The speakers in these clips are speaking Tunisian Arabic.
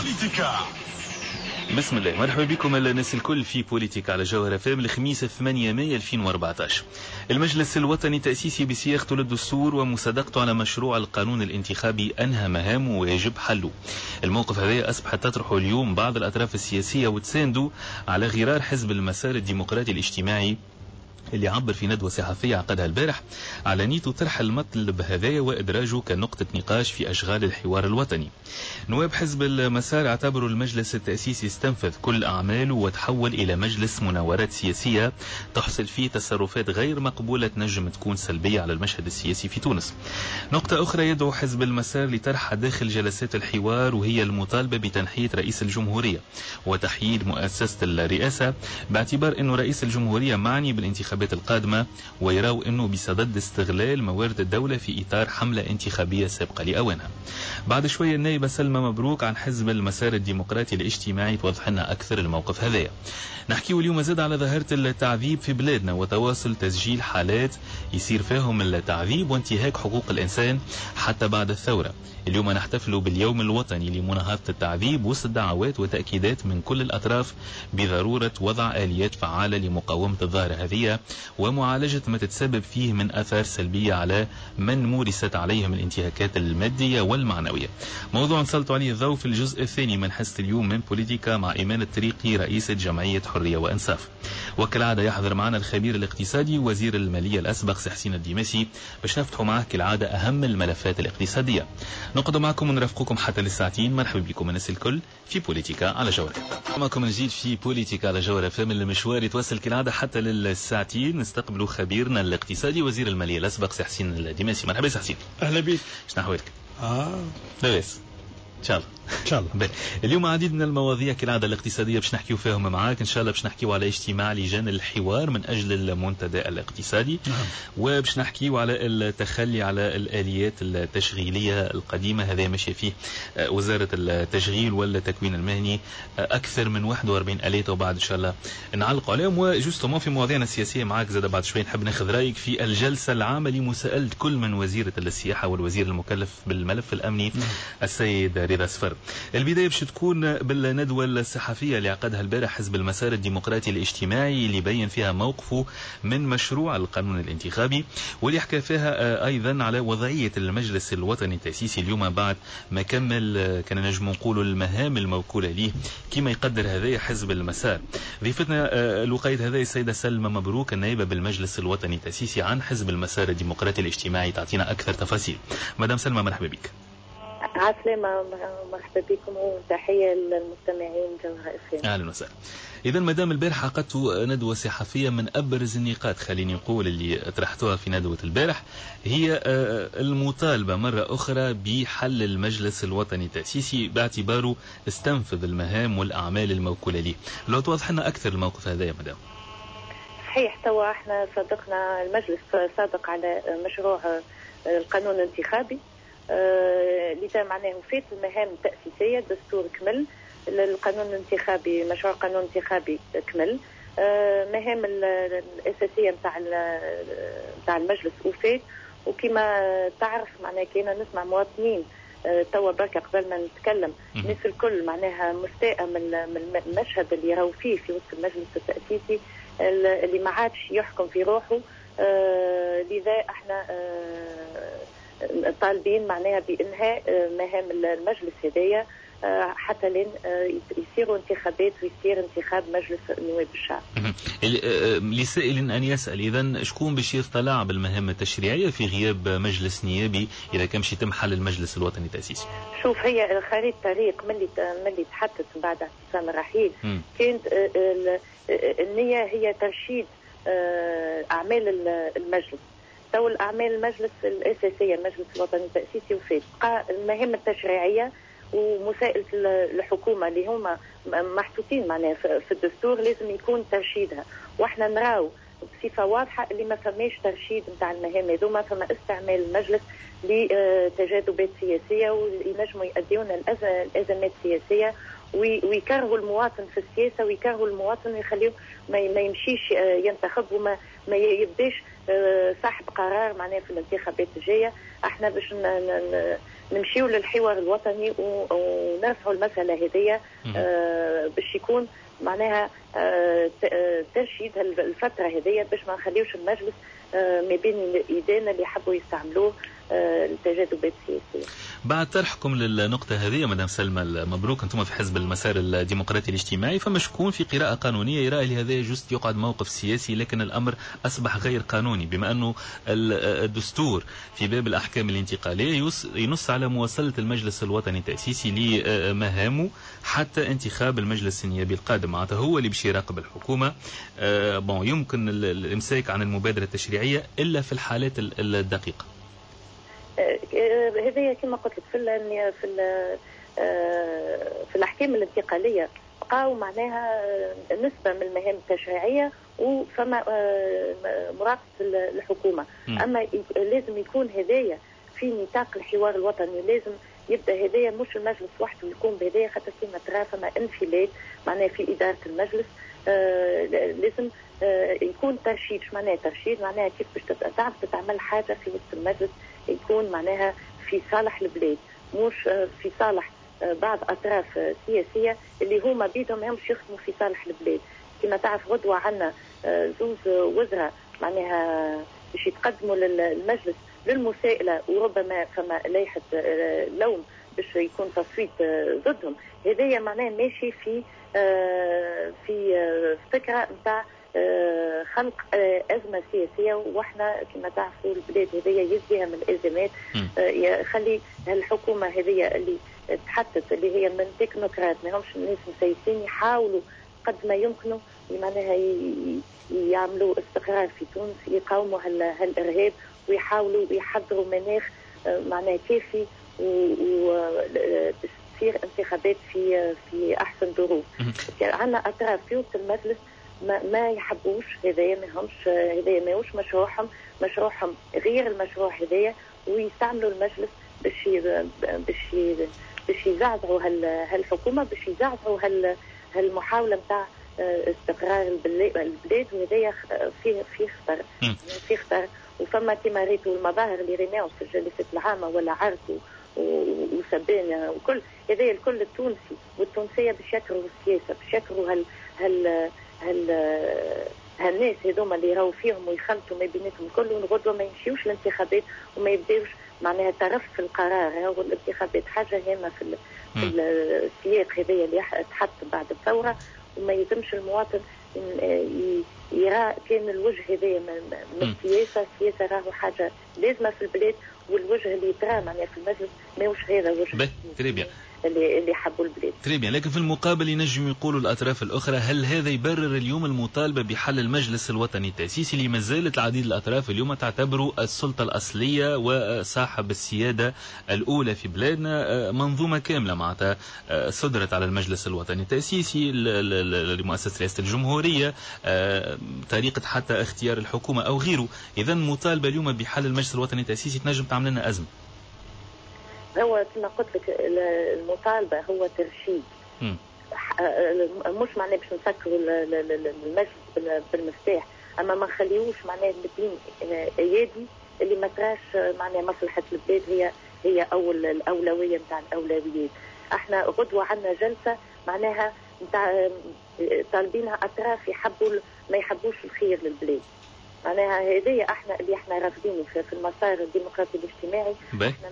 بوليتيكا. بسم الله، مرحبا بكم الناس الكل في بوليتيكا على جوهرة أف أم الخميس 8 ماي 2014. المجلس الوطني التأسيسي بصياغته للدستور ومصادقته على مشروع القانون الانتخابي أنهى مهامه ويجب حله. الموقف هذا أصبحت تطرحه اليوم بعض الأطراف السياسية وتسانده على غرار حزب المسار الديمقراطي الاجتماعي اللي عبر في ندوة صحفية عقدها البارح على نيته طرح المطلب هذايا وإدراجه كنقطة نقاش في أشغال الحوار الوطني. نواب حزب المسار اعتبروا المجلس التأسيسي استنفذ كل أعماله وتحول إلى مجلس مناورات سياسية تحصل فيه تصرفات غير مقبولة تنجم تكون سلبية على المشهد السياسي في تونس. نقطة أخرى يدعو حزب المسار لطرحها داخل جلسات الحوار وهي المطالبة بتنحية رئيس الجمهورية وتحييد مؤسسة الرئاسة باعتبار أنه رئيس الجمهورية معني بالانتخابات القادمة ويراو أنه بصدد استغلال موارد الدولة في إطار حملة انتخابية سابقة لأوانها. بعد شوية النائبة سلمى مبروك عن حزب المسار الديمقراطي الاجتماعي توضح لنا أكثر الموقف هذايا. نحكيه اليوم زاد على ظاهرة التعذيب في بلادنا وتواصل تسجيل حالات يصير فيهم التعذيب وانتهاك حقوق الإنسان حتى بعد الثورة. اليوم نحتفل باليوم الوطني لمناهضة التعذيب وسط دعوات وتأكيدات من كل الأطراف بضرورة وضع آليات فعالة لمقاومة الظاهرة هذه ومعالجة ما تتسبب فيه من آثار سلبية على من مورست عليهم الانتهاكات المادية والمعنوية. موضوع نسلط عليه الضوء في الجزء الثاني من حصة اليوم من بوليتيكا مع إيمان الطريقي رئيسة جمعية حرية وإنصاف. وكالعادة يحضر معنا الخبير الاقتصادي وزير المالية الأسبق سي حسين الديماسي باش نفتحوا معه كالعادة أهم الملفات الاقتصادية. نقعد معكم ونرافقكم حتى للساعتين. مرحبا بكم الناس الكل في بوليتيكا على جوهرة. معكم نجيد في بوليتيكا على جوهرة أف أم. المشوار يتواصل كالعادة حتى للساعتين. نستقبلوا خبيرنا الاقتصادي وزير المالية الأسبق سي حسين الديماسي. مرحبا سي حسين. أهلا بك. شنو أحوالك؟ لاباس ان شاء الله. ان شاء الله. اليوم عديد من المواضيع كالعادة الاقتصادية باش نحكيو فيهم معاك ان شاء الله. باش نحكيو على اجتماع لجان الحوار من اجل المنتدى الاقتصادي. نعم. وباش نحكيو على التخلي على الاليات التشغيلية القديمة، هذا ماشي فيه وزارة التشغيل والتكوين المهني اكثر من 41 آلية وبعد ان شاء الله نعلقوا عليهم. و justement في مواضيعنا السياسية معاك زاد بعد شوي نحب ناخذ رايك في الجلسة العامة لمساءله كل من وزيره السياحة والوزير المكلف بالملف الامني. نعم. السيد رضا سفر. البداية باش تكون بالندوة الصحفية اللي عقدها البارح حزب المسار الديمقراطي الاجتماعي اللي بين فيها موقفه من مشروع القانون الانتخابي واللي حكى فيها أيضا على وضعية المجلس الوطني التأسيسي اليوم بعد ما كمل كان نجم نقولوا المهام الموكولة ليه كما يقدر هذا حزب المسار. ضيفتنا الوقاية هذا السيدة سلمى مبروك النائبة بالمجلس الوطني التأسيسي عن حزب المسار الديمقراطي الاجتماعي تعطينا أكثر تفاصيل. مدام سلمى مرحبا بك. عسلامة، مرحبا بكم وتحية للمستمعين جوهرة أف أم. أهلا وسهلا. إذا مدام البارح عقدت ندوة صحفية من أبرز النقاط خليني نقول اللي طرحتوها في ندوة البارح هي المطالبة مرة أخرى بحل المجلس الوطني التأسيسي باعتباره استنفذ المهام والأعمال الموكولة ليه. لو توضح لنا أكثر الموقف هذا يا مدام. صحيح، توا احنا صادقنا المجلس صادق على مشروع القانون الانتخابي لذا معناه فات المهام التأسيسية، الدستور كمل، القانون الانتخابي مشروع قانون انتخابي كمل، مهام الأساسية نتاع المجلس وفات. وكما تعرف معناها كنا نسمع مواطنين توا بركة قبل ما نتكلم الناس الكل معناها مستاءة من المشهد اللي يراو فيه في وسط المجلس التأسيسي اللي ما عادش يحكم في روحه. لذا احنا طالبين معناها بإنهاء مهام المجلس هذايا حتى لين يصيروا انتخابات ويصير انتخاب مجلس نواب الشعب. لسائل أن يسأل إذا شكون باش يطلع بالمهام التشريعية في غياب مجلس نيابي إذا كان باش يتم حل المجلس الوطني التأسيسي؟ شوف، هي خريطة طريق من اللي تحطت بعد اعتصام الرحيل كانت النية هي ترشيد أعمال المجلس. تو الأعمال المجلس الأساسية المجلس الوطني التأسيسي وفات، بقى المهام التشريعية ومساءلة الحكومة اللي هما محطوطين معناها في الدستور لازم يكون ترشيدها. واحنا نراو بصفة واضحة اللي ما فماش ترشيد نتاع المهام هذوما، فما استعمال المجلس لتجاذبات سياسية وينجموا يؤديونا الأزمات السياسية. ويكرهوا المواطن في السياسة، ويكرهوا المواطن ويخليه ما يمشيش ينتخب وما ما يبداش صاحب قرار معناها في الانتخابات الجاية. احنا باش نمشيو للحوار الوطني ونرفعوا المسالة هذيا باش يكون معناها ترشيد الفترة هذيا، باش ما نخليوش المجلس ما بين ايدينا اللي يحبوا يستعملوه التجاذبات السياسية. بعد طرحكم للنقطة هذه مدام سلمى المبروك، انتم في حزب المسار الديمقراطي الاجتماعي، فما شكون في قراءة قانونية يرى اللي هذا juste يقعد موقف سياسي، لكن الأمر أصبح غير قانوني، بما أنه الدستور في باب الأحكام الانتقالية ينص على مواصلة المجلس الوطني التأسيسي لمهامه حتى انتخاب المجلس النيابي القادم، معناتها هو اللي باش يراقب الحكومة. bon يمكن الإمساك عن المبادرة التشريعية إلا في الحالات الدقيقة. هذايا كما قلت لك في الاحكام الانتقالية بقاو معناها نسبه من المهام التشريعية وفما مراقبة الحكومة. اما لازم يكون هذايا في نطاق الحوار الوطني، لازم يبدا هذايا مش المجلس وحده يكون بهذايا، خاطر كما ترى فما انفلات معناها في ادارة المجلس. لازم يكون ترشيد. شو معناها ترشيد؟ معناها كيف باش تعرف تتعمل حاجة في وسط المجلس يكون معناها في صالح البلاد، مش في صالح بعض اطراف سياسية اللي هما بيدهم همش يخدموا في صالح البلاد. كما تعرف غدوه عندنا زوز وزراء معناها باش يتقدموا للمجلس للمساءله، وربما فما لائحة لوم باش يكون تصويت ضدهم. هذايا معناه ماشي في فكرة نتاع خلق أزمة سياسية، وإحنا كما تعرفوا البلاد هذيا يزيها من الأزمات. يخلي الحكومة هذيا اللي تحطت اللي هي من تكنوقراط، ما همش الناس مسيسين، يحاولوا قد ما يمكنوا معناها يعملوا استقرار في تونس، يقاوموا هالإرهاب ويحاولوا يحضروا مناخ معناها كافي و تصير انتخابات في أحسن ظروف. عندنا أطراف في وسط المجلس ما يحبوش هذايا، ما همش هذايا، ماهوش مشروعهم، مشروعهم غير المشروع هذايا، ويستعملوا المجلس باش باش باش يزعزعوا هالحكومة، باش يزعزعوا هالمحاوله نتاع استقرار البلاد، وهذايا فيه خطر، فيه خطر. وفما كما ريتوا المظاهر اللي ريناهم في الجلسات العامة ولا عرض وسبان وكل هذايا، الكل التونسي والتونسيه باش يكرهوا السياسة، باش يكرهوا هال هال هال هالناس هذوما اللي راهو فيهم ويخلطوا ما بيناتهم الكل، والغدوه ما يمشيوش الانتخابات وما يبداوش معناها طرف في القرار. هو الانتخابات حاجة هامة في السياق هذايا اللي تحط بعد الثورة، وما يلزمش المواطن يرى كان الوجه هذايا من السياسة. السياسة راهو حاجة لازمه في البلاد، والوجه اللي يترى معناها في المجلس ماهوش هذا وجه اللي حبوا البلاد. très bien. لكن في المقابل ينجم يقولوا الأطراف الأخرى، هل هذا يبرر اليوم المطالبة بحل المجلس الوطني التأسيسي اللي ما زالت العديد الأطراف اليوم تعتبره السلطة الأصلية وصاحب السيادة الأولى في بلادنا؟ منظومة كاملة معناتها صدرت على المجلس الوطني التأسيسي لمؤسسة رئاسة الجمهورية، طريقة حتى اختيار الحكومة أو غيره. إذا مطالبة اليوم بحل المجلس الوطني التأسيسي تنجم تعمل لنا أزمة. هو كما قلت لك المطالبة هو ترشيد، مش معناه باش نسكروا المجلس بالمفتاح، أما ما نخليوش معناه بين أيادي اللي ما تراش معناه مصلحة البلاد هي أول الأولوية نتاع الأولويات. احنا غدوة عندنا جلسة معناها نتاع طالبينها أطراف يحبوا ما يحبوش الخير للبلاد، معناها هذه احنا اللي احنا رافضينه في المسار الديمقراطي الاجتماعي. احنا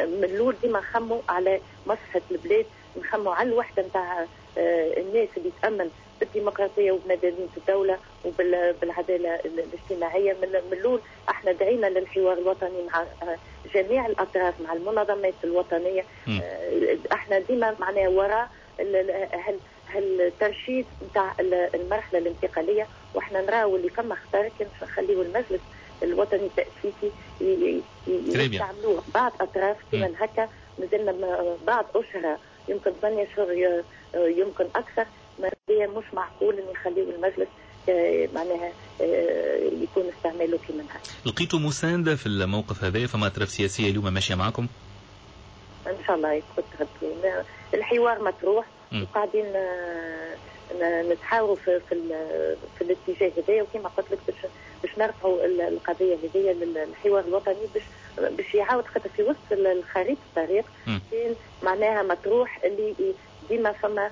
من الاول ديما نخموا على مصلحة البلاد، نخموا على الوحدة نتاع الناس اللي تامن بالديمقراطية وبمدنيه الدولة وبالعداله الاجتماعية. من الاول احنا دعينا للحوار الوطني مع جميع الاطراف، مع المنظمات الوطنية. احنا ديما معناها وراء هالترشيد نتاع المرحلة الانتقالية، واحنا نراو اللي فما خطر كان نخليو المجلس الوطني التأسيسي يستعملوه بعض أطراف كما هكا. مازلنا بعض أشهر، يمكن 8 أشهر، يمكن أكثر، ما مش معقول أن يخليو المجلس معناها يكون استعماله كما هكا. لقيتوا مساندة في الموقف هذا؟ فما أطراف سياسية اليوم ماشية معكم؟ ان شاء الله يكون الحوار مطروح وقاعدين نتحاوروا في الاتجاه هذايا، وكما قلت لك باش نرفعوا القضية هذيا للحوار الوطني باش يعاود، خاطر في وسط الخريطة الطريق كان معناها مطروح اللي ديما فما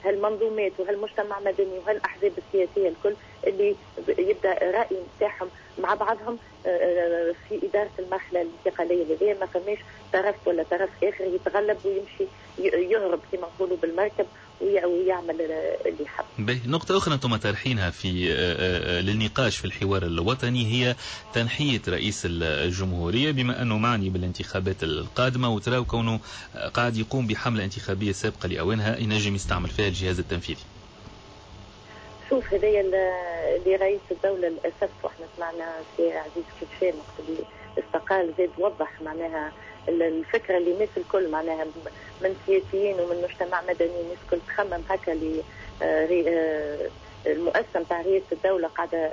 هالمنظومات وهالمجتمع المدني وهالاحزاب السياسية الكل اللي يبدا راي نتاعهم مع بعضهم في ادارة المرحلة الانتقالية هذه، ما فماش طرف ولا طرف اخر يتغلب ويمشي يهرب كما نقولوا بالمركب ويعمل اللي يحب. باهي، نقطة أخرى أنتم طرحينها في للنقاش في الحوار الوطني هي تنحية رئيس الجمهورية، بما أنه معني بالانتخابات القادمة وتراو كونه قاعد يقوم بحملة انتخابية سابقة لأوانها ينجم يستعمل فيها الجهاز التنفيذي. شوف، هذايا اللي رئيس الدولة للأسف، واحنا سمعنا سي عزيز كيفشان وقت اللي استقال زاد وضح معناها الفكرة اللي الناس الكل معناها من سياسيين ومن مجتمع مدني الناس الكل تخمم هكا، اللي المؤسسة نتاع رئاسة الدولة قاعدة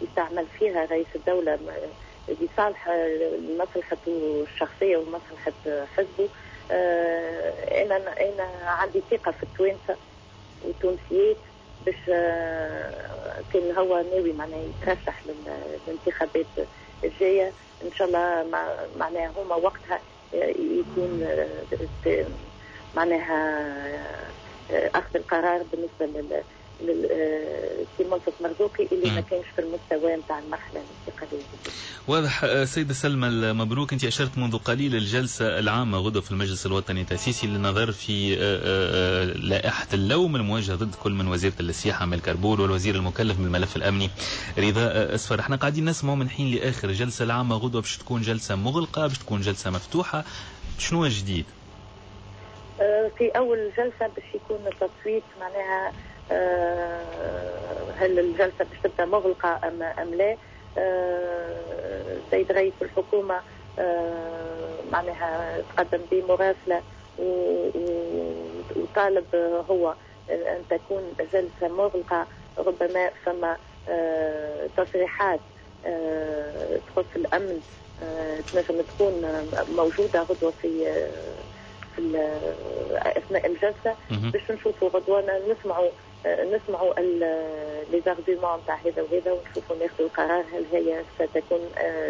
يستعمل فيها رئيس الدولة لصالح مصلحته الشخصية ومصلحة حزبه. أنا عندي ثقة في التوانسة والتونسيات باش كان هو ناوي معناها يترشح للانتخابات الجاية إن شاء الله، معناها هما وقتها يكون معناها أخذ القرار بالنسبة للسي منصف مرزوقي اللي ما كانش في المستوى نتاع المرحلة الانتقالية. واضح. سيدة سلمى المبروك، أنت أشرت منذ قليل الجلسة العامة غدوة في المجلس الوطني التأسيسي للنظر في لائحة اللوم الموجهة ضد كل من وزيرة السياحة أمال كربول والوزير المكلف بالملف الأمني رضا أسفر. احنا قاعدين نسمع من حين لآخر، الجلسة العامة غدوة باش تكون جلسة مغلقة، باش تكون جلسة مفتوحة، شنو الجديد؟ في أول جلسة باش يكون التصويت معناها هل الجلسة باش تبدأ مغلقة أم لا. سيد رئيس الحكومة معناها تقدم بمراسلة وطالب هو أن تكون جلسة مغلقة، ربما فما تصريحات تخص الأمن تنجم تكون موجودة غدوة في أثناء الجلسة باش نشوفوا غدوة نسمعوا les arguments تاع هذا وهذا ونشوفوا ناخذوا القرار هل هي ستكون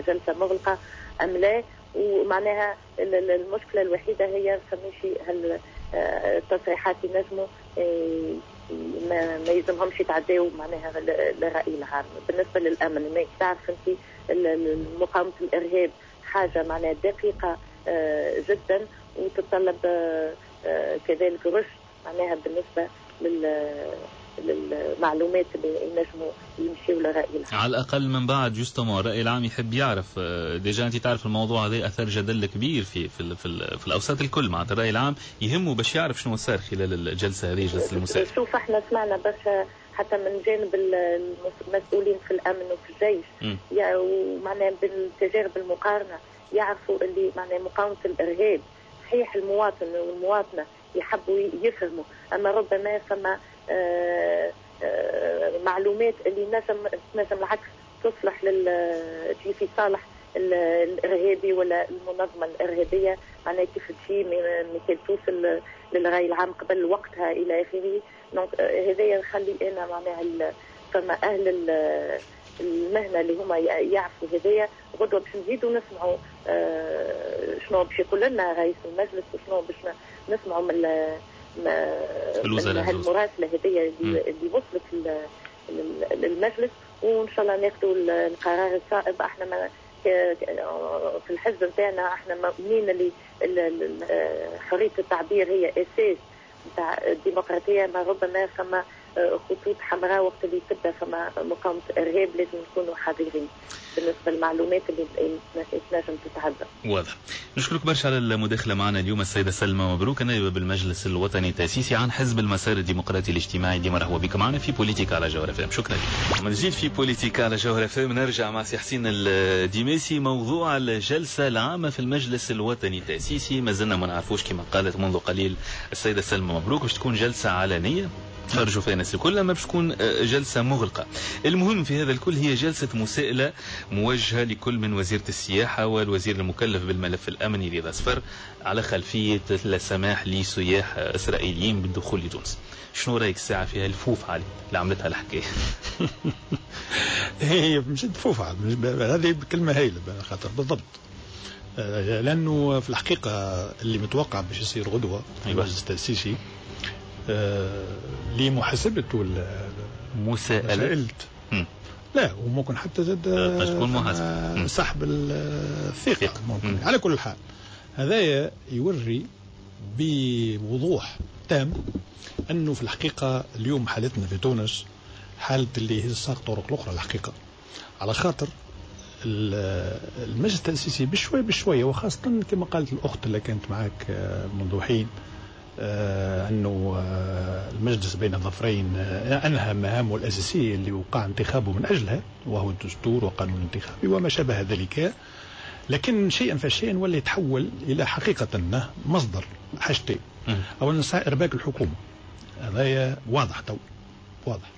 جلسة مغلقة أم لا. ومعناها المشكلة الوحيدة هي فماشي هل التصريحات ينجموا ما يلزمهمش يتعداو معناها للرأي العام. بالنسبة للأمن، ما تعرف أنت مقاومة الإرهاب حاجة معناها دقيقة جدا وتتطلب كذلك رشد معناها بالنسبة للمعلومات اللي ينجموا يمشيوا للرأي العام. على الأقل من بعد justement الرأي العام يحب يعرف. déjà أنت تعرف الموضوع هذا أثر جدل كبير في في في, في الأوساط الكل، معناتها الرأي العام يهمه باش يعرف شنو صار خلال الجلسة هذه، جلسة المساء. شوف، احنا سمعنا برشا حتى من جانب المسؤولين في الأمن وفي الجيش يعني ومعناها بالتجارب المقارنة يعرفوا اللي معناها مقاومة الإرهاب صحيح المواطن والمواطنة يحبوا يفهموا، أما ربما فما معلومات اللي نجم العكس تصلح تجي في صالح الإرهابي ولا المنظمة الإرهابية، معناها كيف تجي مثال توصل للرأي العام قبل وقتها إلى آخره. donc هذا يخلي أنا معناها فما أهل المهنة اللي هما يعرفوا هذايا غدوة باش نزيدوا نسمعوا شنو باش يقول لنا رئيس المجلس وشنو باش نسمعوا من المراسلة هذيا اللي وصلت للمجلس، وإن شاء الله ناخذوا القرار الصائب. احنا ما في الحزب نتاعنا احنا مؤمنين اللي حرية التعبير هي أساس نتاع الديمقراطية، ما ربما فما خطوط حمراء وقت اللي تبدا فما مقاومة إرهاب لازم نكونوا حذرين بالنسبة للمعلومات اللي تنجم تتعدى. واضح. نشكرك برشا على المداخلة معنا اليوم السيدة سلمى مبروك، النائبة بالمجلس الوطني التأسيسي عن حزب المسار الديمقراطي الاجتماعي. ديما مرحبا بك معنا في بوليتيكا على جوهرة فام. شكرا لك. من جديد في بوليتيكا على جوهرة فام نرجع مع سي حسين الديماسي. موضوع الجلسة العامة في المجلس الوطني التأسيسي ما زلنا ما نعرفوش، كما قالت منذ قليل السيدة سلمى مبروك باش تكون جلسة علنية. تفرجوا فيها الناس الكل، اما باش تكون جلسه مغلقة. المهم في هذا الكل هي جلسه مساءله موجهة لكل من وزيره السياحة والوزير المكلف بالملف الامني رضا صفر على خلفية السماح لسياح اسرائيليين بالدخول لتونس. شنو رايك الساعة فيها الفوف علي اللي عملتها الحكاية؟ هي مش الفوف، هذه كلمة هايلة خاطر بالضبط، لانه في الحقيقة اللي متوقع باش يصير غدوه في المجلس التاسيسي لمحاسبه مساءلة، لا وممكن حتى زاد تكون محاسبه سحب الثقة ممكن. على كل حال هذايا يوري بوضوح تام انه في الحقيقة اليوم حالتنا في تونس حاله اللي هي ساق طرق الاخرى الحقيقة، على خاطر المجلس التأسيسي بشوي بشوية، وخاصة كما قالت الأخت اللي كانت معك منذ حين أنه المجلس بين الظفرين أنهى مهامه الأساسية اللي وقع انتخابه من أجلها، وهو الدستور وقانون الانتخابي وما شابه ذلك، لكن شيئا فشيئا ولا يتحول إلى حقيقة مصدر حاجتين. أولا إرباك الحكومة، هذا واضح تو واضح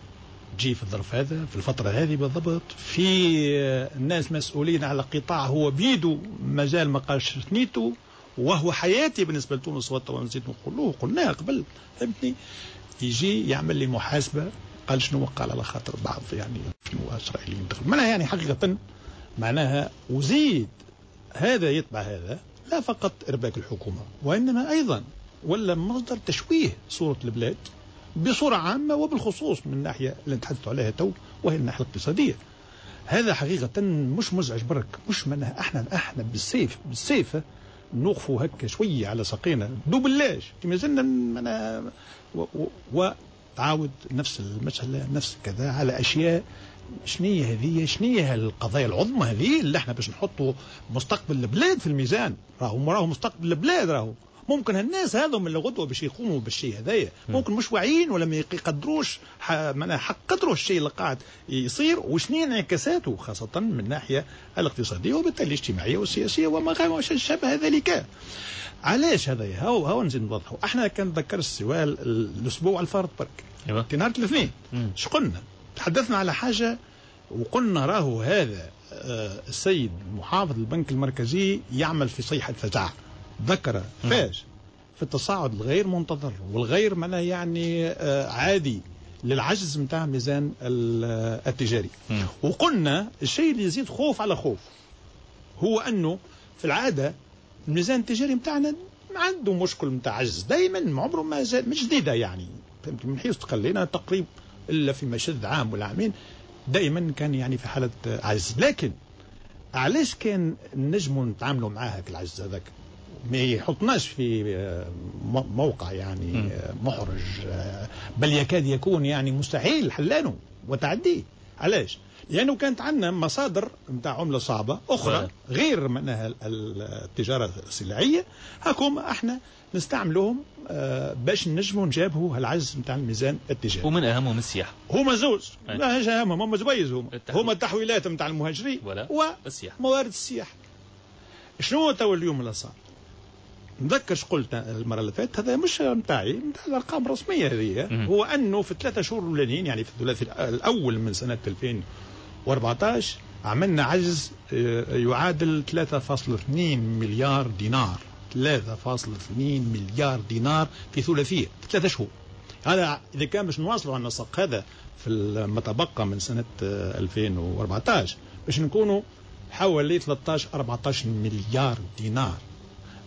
تجي في الظرف هذا في الفترة هذه بالضبط، في الناس مسؤولين على قطاع هو بيده مازال ما قالش ثنيته وهو حياتي بالنسبة لتونس، ونزيد نقولوه قلناها قبل، فهمتني؟ يجي يعمل لي محاسبة قال شنو قال على خاطر بعض يعني شنو إسرائيليين دخلوا معناها، يعني حقيقة معناها وزيد هذا يتبع هذا، لا فقط إرباك الحكومة وإنما أيضا ولا مصدر تشويه صورة البلاد بصورة عامة، وبالخصوص من الناحية اللي نتحدث عليها تو وهي الناحية الاقتصادية. هذا حقيقة مش مزعج برك، مش معناها احنا بالسيف نوقفوا هكا شوية على ساقينا دوبلاش كما زلنا معناها، وتعاود نفس المسألة نفس كذا على أشياء. شنية هذه؟ شنية القضايا العظمى هذه اللي احنا باش نحطوا مستقبل البلاد في الميزان؟ راهو مستقبل البلاد، راهو ممكن هالناس هذم اللي غدوه باش يقوموا بالشيء هذايا ممكن مش واعيين ولا ما يقدروش معناها حق قدروا الشيء اللي قاعد يصير وشنو انعكاساته، خاصة من الناحية الاقتصادية وبالتالي الاجتماعية والسياسية وما شابه ذلك. علاش هذايا؟ هاو نزيد نوضحوا. احنا كان تذكر السؤال الاسبوع الفارط برك في نهار الاثنين اش قلنا؟ تحدثنا على حاجة وقلنا راهو هذا السيد محافظ البنك المركزي يعمل في صيحة فزع، ذكر فاش في التصاعد الغير منتظر والغير معناه يعني عادي للعجز نتاع ميزان التجاري. وقلنا الشيء اللي يزيد خوف على خوف هو انه في العادة الميزان التجاري نتاعنا عنده مشكل نتاع عجز دائما، عمره ما زال مش جديدة يعني، فهمت؟ من حيث تقلينا تقريبا الا في مشد عام ولا عامين دائما كان يعني في حاله عجز. لكن علاش كان نجموا نتعاملوا معاه العجز هذاك؟ ما يحطناش في موقع يعني محرج، بل يكاد يكون يعني مستحيل حلانه وتعديه. علاش؟ لأنه كانت عندنا مصادر نتاع عملة صعبة أخرى غير معناها التجارة السلعية، هاكم احنا نستعملوهم باش نجموا نجابهوا العجز نتاع الميزان التجاري. ومن أهمهم السياحة. هما زوز، لا أهمهم هما زويز، هما التحويلات نتاع المهاجرين وموارد السياحة. شنو تو اليوم اللي صار؟ نذكر اش قلت المرة اللي فاتت، هذا مش نتاعي، نتاع الارقام الرسمية هذه، هو انه في الثلاثة شهور الاولانيين يعني في الثلاثي الاول من سنة 2014 عملنا عجز يعادل 3.2 مليار دينار، 3.2 مليار دينار في ثلاثية في 3 شهور. هذا اذا كان باش نواصلوا على النسق هذا في ما تبقى من سنة 2014 باش نكونوا حوالي 13 14 مليار دينار.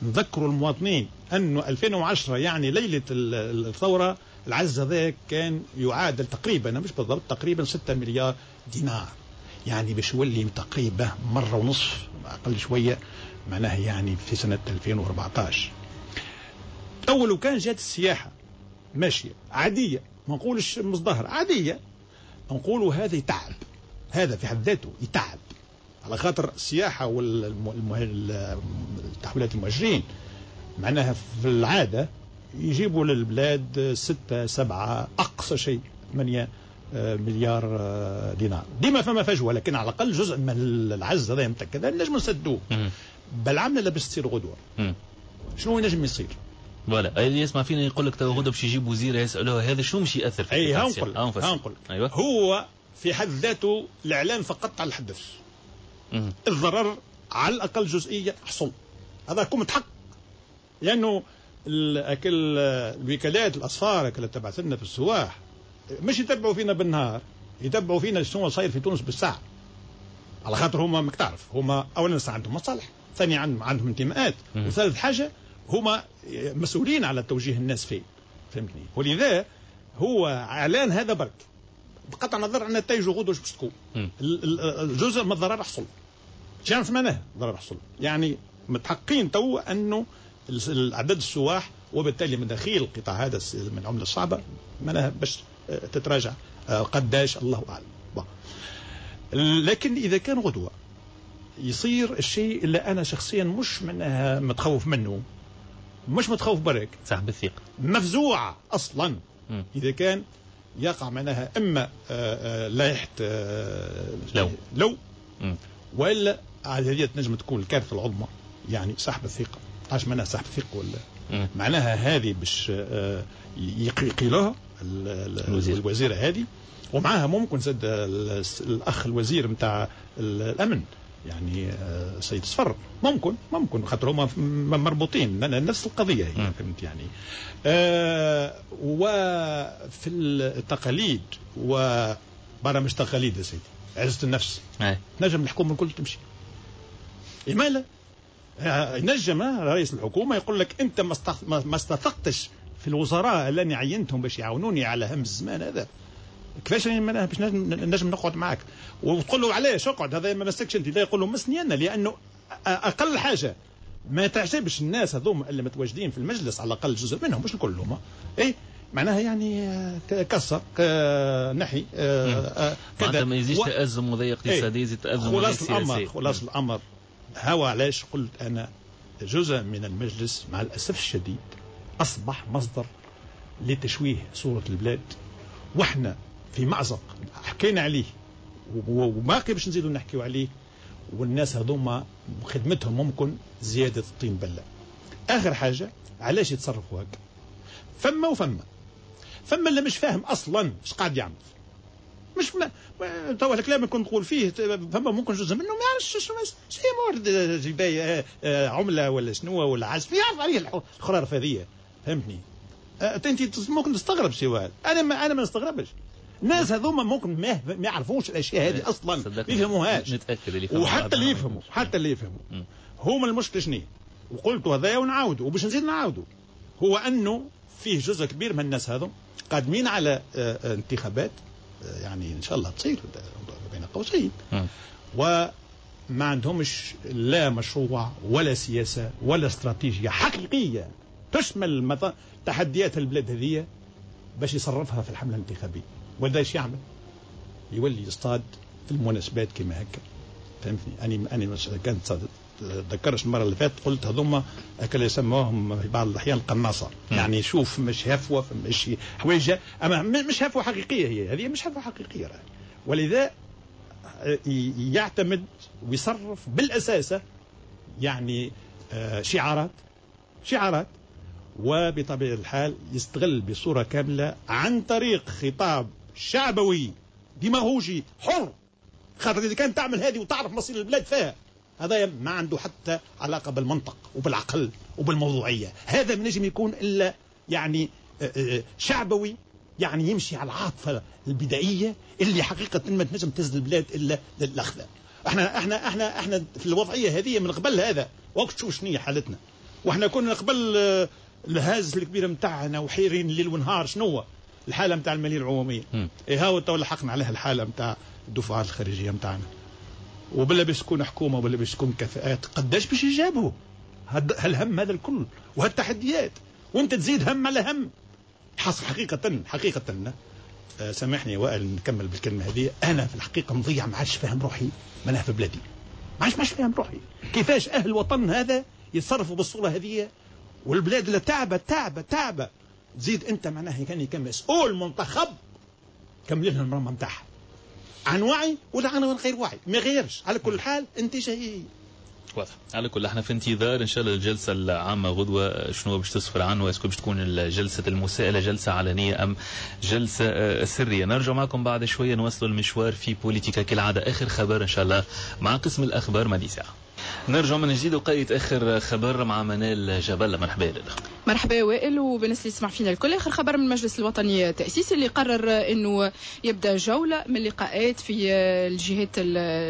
نذكروا المواطنين أنه 2010 يعني ليلة الثورة العجز هذا كان يعادل تقريبا، مش بالضبط، تقريبا 6 مليار دينار، يعني باش يولي تقريبا مرة ونصف أقل شوية معناها يعني في سنة 2014. أول وكان جات السياحة ماشية عادية، ما نقولش مزدهرة، عادية، نقولوا هذا يتعب، هذا في حد ذاته يتعب على خاطر السياحة والتحويلات المهاجرين معناها في العادة يجيبوا للبلاد 6 7 أقصى شيء 8 مليار دينار، ديما فما فجوة، لكن على الأقل جزء من العجز هذا نتاع كذا نجم نسدوه. بل عملنا اللي باش تصير غدوة شنو ينجم يصير؟ voilà اللي يسمع فينا يقول لك تو غدا باش يجيب وزير يسالوه هذا شنو مش ياثر في اي هنقول أيوة. هو في حد ذاته الاعلان فقط على الحدث. الضرر على الاقل جزئيا حصل، هذا يكون متحقق، لانه اكل الوكالات الاصفار اللي تبعث لنا في السواح مش يتبعوا فينا بالنهار، يتبعوا فينا شنو صاير في تونس بالساعة، على خاطر هما ماك تعرف هما اولا عندهم مصالح، ثانيا عندهم انتماءات، وثالث حاجة هما مسؤولين على توجيه الناس فين، فهمتني؟ ولذا هو اعلان هذا برك بقطع النظر عن نتائجه غدوه باش تكون. الجزء من الضرر حصل. شنو معناه الضرر حصل؟ يعني متحققين تو انه اعداد السواح وبالتالي مداخيل القطاع هذا من العملة الصعبة معناها باش تتراجع قداش الله اعلم. لكن اذا كان غدوه يصير الشيء اللي انا شخصيا مش معناها متخوف منه، مش متخوف برك، سحب الثقة مفزوعه اصلا. اذا كان يقع معناها اما لائحة لو والا هذه تنجم تكون الكارثة العظمى، يعني سحب الثقة. عاش معناها سحب الثقة ولا معناها هذه باش يقيلوها الوزيرة هذه، ومعها ممكن زاد الاخ الوزير نتاع الامن يعني سيد صفر، ممكن خاطر هما مربوطين نفس القضية هي، فهمت يعني. وفي التقاليد وبرامج تقاليد يا سيدي عزه النفس، تنجم الحكومة الكل تمشي. إمالا ينجم رئيس الحكومة يقول لك انت ما استثقتش في الوزراء اللي عينتهم باش يعاونوني على هم الزمان هذا، كيفاش باش نجم نقعد معك؟ وتقول له علاش اقعد، هذا ما مسكش انت. لا، يقول له مسني انا، لانه اقل حاجة ما تعجبش الناس هذوما اللي متواجدين في المجلس، على الاقل جزء منهم مش كلهم، اي معناها يعني كسر نحي كذا، ما يزيدش تأزم وضيق اقتصادي، يزيد تأزم وضيق سياسي. خلاص الامر هو علاش قلت انا جزء من المجلس مع الاسف الشديد اصبح مصدر لتشويه صوره البلاد، واحنا في مأزق حكينا عليه وباقي باش نزيدوا نحكيو عليه، والناس هذوما خدمتهم ممكن زيادة الطين بلة. آخر حاجة علاش يتصرفوا هكا؟ فما وفما فما اللي مش فاهم أصلا اش قاعد يعمل، مش توا الكلام اللي كنت نقول فيه فما ممكن جزء منه ما يعرفش شنو مورد جباية عملة ولا شنو ولا عزف، يعرف عليه الخرارف هذية، فهمتني؟ انت ممكن تستغرب سي وائل، انا ما نستغربش. الناس هذوما ممكن ما يعرفوش الاشياء هذه اصلا، ما يفهموهاش. نتاكد اللي وحتى اللي يفهموا، حتى اللي يفهموا هما المشكلة شنو؟ وقلت هذايا ونعاودوا وباش نزيد نعاودوا، هو انه فيه جزء كبير من الناس هذو قادمين على انتخابات، يعني ان شاء الله تصير بين قوسين، وما عندهمش لا مشروع ولا سياسة ولا استراتيجية حقيقية تشمل تحديات البلاد هذه باش يصرفها في الحملة الانتخابية. ولا ايش يعمل؟ يولي يصطاد في المناسبات كما هكا، فهمتني؟ انا كانت تذكرش المرة اللي فاتت قلت هذوما اللي يسموهم في بعض الاحيان القناصه، يعني شوف مش هفوة مش حويجه، اما مش هفوة حقيقية، هي هذه مش هفوة حقيقية راهي. ولذا يعتمد ويصرف بالاساس يعني شعارات، وبطبيعة الحال يستغل بصورة كاملة عن طريق خطاب شعبوي ديماغوجي حر، خاطر اذا كان تعمل هذه وتعرف مصير البلاد فيها، هذا ما عنده حتى علاقة بالمنطق وبالعقل وبالموضوعيه، هذا ما نجم يكون الا يعني شعبوي، يعني يمشي على العاطفة البدائية اللي حقيقة ما تنجم تهز البلاد الا للاخذ. احنا احنا احنا احنا في الوضعية هذه من قبل هذا، وقت شوف شنو حالتنا، واحنا كنا قبل الهاز الكبير نتاعنا وحيرين ليل ونهار شنو الحالة نتاع المالية العمومية. اي هاو تو لحقنا عليها الحالة نتاع الدفعات الخارجية نتاعنا، وبلا باش تكون حكومة وبلا باش تكون كفاءات، قداش باش يجابوا هالهم هذا الكل وهالتحديات، وانت تزيد هم على هم. حصل حقيقة حقيقة، سامحني وائل نكمل بالكلمة هذه، انا في الحقيقة نضيع، ما عادش فاهم روحي معناها في بلادي، ما عادش فاهم روحي كيفاش اهل الوطن هذا يتصرفوا بالصورة هذه، والبلاد اللي تعبه تعبه تعبه، تزيد انت معناها كان مسؤول منتخب كمل لنا المرمى نتاعها عن وعي ولا عن غير وعي، ما غيرش. على كل حال انت هي. واضح. على كل احنا في انتظار ان شاء الله الجلسة العامة غدوه شنو باش تسفر عنه، est-ce que باش تكون جلسه المساءلة جلسه علنية ام جلسه سرية. نرجع معكم بعد شوية نواصلوا المشوار في بوليتيكا كالعادة. اخر خبر ان شاء الله مع قسم الاخبار مدي ساعة. نرجع من جديد وقيت اخر خبر مع منال جبل. مرحبا لك. مرحبا وائل وبالنسبة اللي يسمع فينا الكل. اخر خبر من المجلس الوطني التاسيسي اللي قرر انه يبدا جولة من اللقاءات في الجهات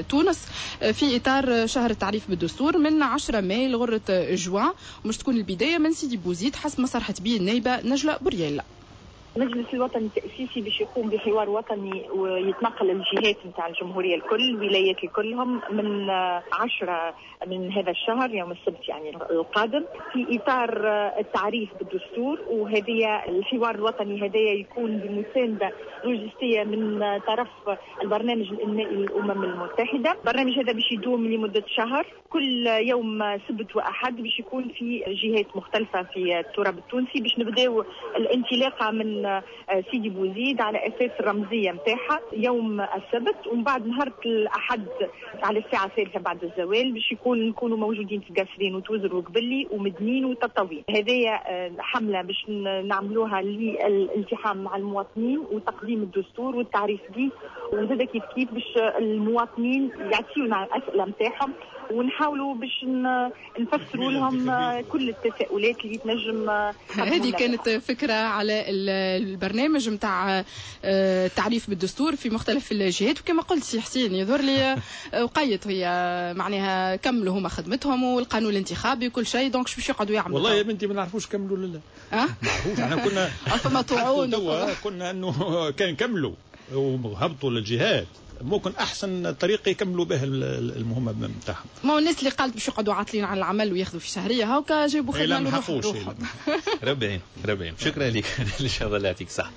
تونس في اطار شهر التعريف بالدستور من 10 ماي لغره جوان، ومش تكون البداية من سيدي بوزيد حسب ما صرحت به النائبه نجلاء بوريال. المجلس الوطني التأسيسي باش يقوم بحوار وطني ويتنقل الجهات نتاع الجمهورية الكل، الولايات كلهم، من 10 من هذا الشهر يوم السبت يعني القادم، في إطار التعريف بالدستور. وهذه الحوار الوطني هذايا يكون بمساندة لوجستية من طرف البرنامج الإنمائي للأمم المتحدة. البرنامج هذا باش يدوم لمدة شهر، كل يوم سبت وأحد باش يكون في جهات مختلفة في التراب التونسي، باش نبداو الانطلاقة من سيدي بوزيد على اساس الرمزية نتاعها يوم السبت، ومن بعد نهار الاحد على الساعة 3 بعد الزوال باش نكونوا موجودين في قاسرين وتوزر وقبلي ومدنين وتطاوين. هذه حمله باش نعملوها للالتحام مع المواطنين وتقديم الدستور والتعريف به، وزاد كيف كيف باش المواطنين يعطيونا الاسئلة نتاعهم ونحاولوا باش نفسروا لهم كل التساؤلات اللي تنجم. هذه كانت فكرة على البرنامج نتاع التعريف بالدستور في مختلف الجهات. وكما قلت سي حسين يظهر لي وقيت هي معناها كملوا هما خدمتهم والقانون الانتخابي وكل شيء، donc باش يقعدوا يعملوا. والله يا بنتي ما نعرفوش كملوا ولا لا. ما نعرفوش، احنا كنا فما طعون، كنا انه كان كملوا وهبطوا للجهات ممكن احسن طريقه يكملوا به المهمة نتاعهم. ما هو الناس اللي قالت باش يقعدوا عاطلين على العمل وياخذوا في شهرية هاكا جابوا خدمة لروحهم. ربي يعين ربي يعين. شكرا لك ان شاء الله يعطيك صح.